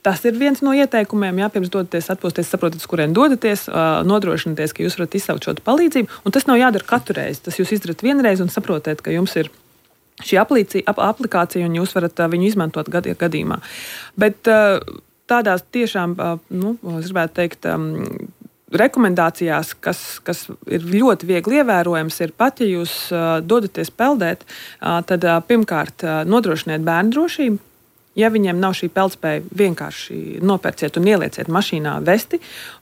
Tas ir viens no ieteikumiem, pirms dodaties atpūsties, saprotat, kurien dodaties, nodrošināties, ka jūs varat izsaukt šo palīdzību, un tas nav jādara katru reizi. Tas jūs izdarat vienreiz un saprotat, ka jums ir šī aplikācija un jūs varat viņu izmantot gadījumā. Bet tādās tiešām, es gribētu teikt, rekomendācijās, kas ir ļoti viegli ievērojams, ir pat, ja jūs dodaties peldēt, tad pirmkārt nodrošiniet bērnu drošību. Ja viņiem nav šī peldspēja, vienkārši nopērciet un ielieciet mašīnā vesti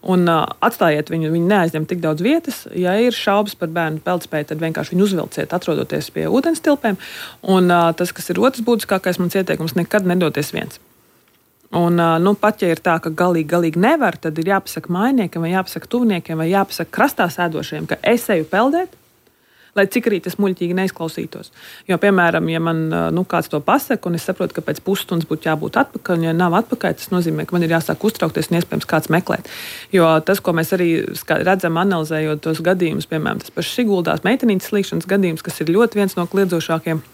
un atstājiet viņu neaizņem tik daudz vietas. Ja ir šaubas par bērnu peldspēju, tad vienkārši viņu uzvilciet, atrodoties pie ūdenstilpēm. Un tas, kas ir otrs būtiskākais, mans ieteikums, nekad nedoties viens. Un, pat ja ir tā, ka galīgi nevar, tad ir jāpasaka mājniekiem vai jāpasaka tuvniekiem vai jāpasaka krastā sēdošiem, ka es eju peldēt, lai cik arī tas muļķīgi neizklausītos. Jo, piemēram, ja man kāds to pasaka, un es saprotu, ka pēc pusstundas būtu jābūt atpakaļ, un ja nav atpakaļ, tas nozīmē, ka man ir jāsāk uztraukties un iespējams kāds meklēt. Jo tas, ko mēs arī redzam, analizējot tos gadījumus, piemēram, tas pašs Siguldās meitenītes slīkšanas gadījums, kas ir ļoti viens no kliedzošākiem,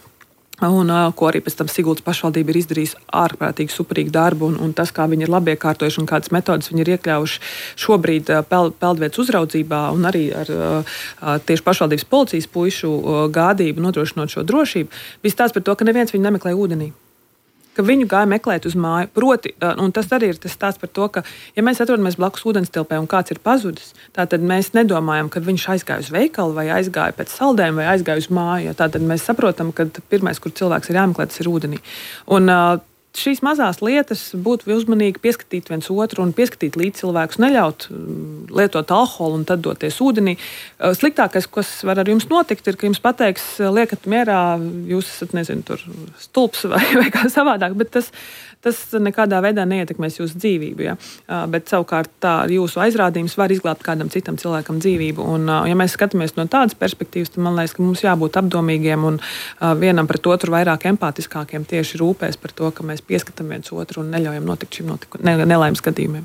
un ko arī pēc tam Siguldas pašvaldība ir izdarījusi ārprātīgi superīgu darbu, un tas, kā viņi ir labi iekārtojuši un kādas metodas viņi ir iekļaujuši šobrīd peldvietas uzraudzībā un arī ar tieši pašvaldības policijas puišu gādību nodrošinot šo drošību, viss tāds par to, ka neviens viņu nemeklē ūdenī. Ka viņu gāja meklēt uz māju. Proti, un tas arī ir tas stāsts par to, ka, ja mēs atrodamies blakus ūdenstilpē un kāds ir pazudis, tātad mēs nedomājam, ka viņš aizgāja uz veikalu vai aizgāja pēc saldēm vai aizgāja uz māju. Tātad mēs saprotam, ka pirmais, kur cilvēks ir jāmeklē, tas ir ūdenī. Un šīs mazās lietas būtu uzmanīgi pieskatīt viens otru un pieskatīt līdz cilvēkus, neļaut lietot alkoholu un tad doties ūdenī. Sliktākais, kas var ar jums notikt, ir, ka jums pateiks, liekat mierā, jūs esat, nezinu, tur stulps vai kā savādāk, bet tas nekādā veidā neietekmēs jūsu dzīvību. Ja? Bet savukārt tā jūsu aizrādījums var izglābt kādam citam cilvēkam dzīvību. Un, ja mēs skatāmies no tādas perspektīvas, tad man liekas, ka mums jābūt apdomīgiem un vienam pret otru vairāk empātiskākiem tieši rūpēs par to, ka mēs pieskatām viens otru un neļaujam notikt šim nelaimes gadījumiem.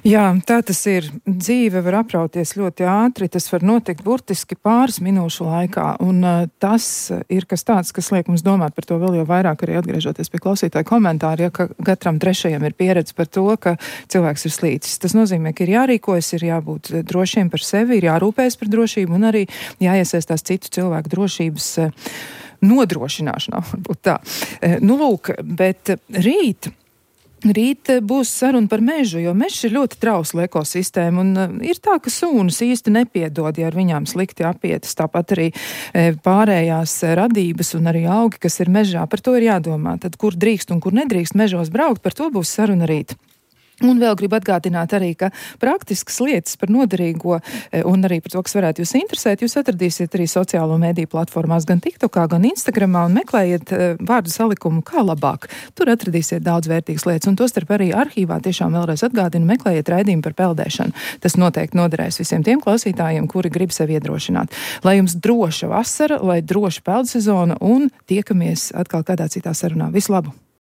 Jā, tā tas ir. Dzīve var aprauties ļoti ātri, tas var notikt burtiski pāris minūšu laikā, un tas ir kas tāds, kas liek mums domāt par to vēl jau vairāk, arī atgriežoties pie klausītāja komentāra, ja katram trešajam ir pieredze par to, ka cilvēks ir slīcis. Tas nozīmē, ka ir jārīkojas, ir jābūt drošiem par sevi, ir jārūpējas par drošību un arī jāiesaistās citu cilvēku drošības nodrošināšanā, varbūt tā. Lūk, bet Rīt būs saruna par mežu, jo mežs ir ļoti trausla ekosistēma, un ir tā, ka sūnas īsti nepiedod, ja ar viņām slikti apietas, tāpat arī pārējās radības un arī augi, kas ir mežā, par to ir jādomā. Tad, kur drīkst un kur nedrīkst mežos braukt, par to būs saruna rīt. Un vēl gribu atgādināt arī, ka praktiskas lietas par noderīgo un arī par to, kas varētu jūs interesēt, jūs atradīsiet arī sociālo mediju platformās gan TikTokā, gan Instagramā un meklējiet vārdu salikumu kā labāk. Tur atradīsiet daudz vērtīgas lietas un tostarp arī arhīvā tiešām vēlreiz atgādinu, meklējiet raidījumu par peldēšanu. Tas noteikti noderēs visiem tiem klausītājiem, kuri grib sevi iedrošināt. Lai jums droša vasara, lai droša peldsezona un tiekamies atkal kādā citā sarunā. Visu labu!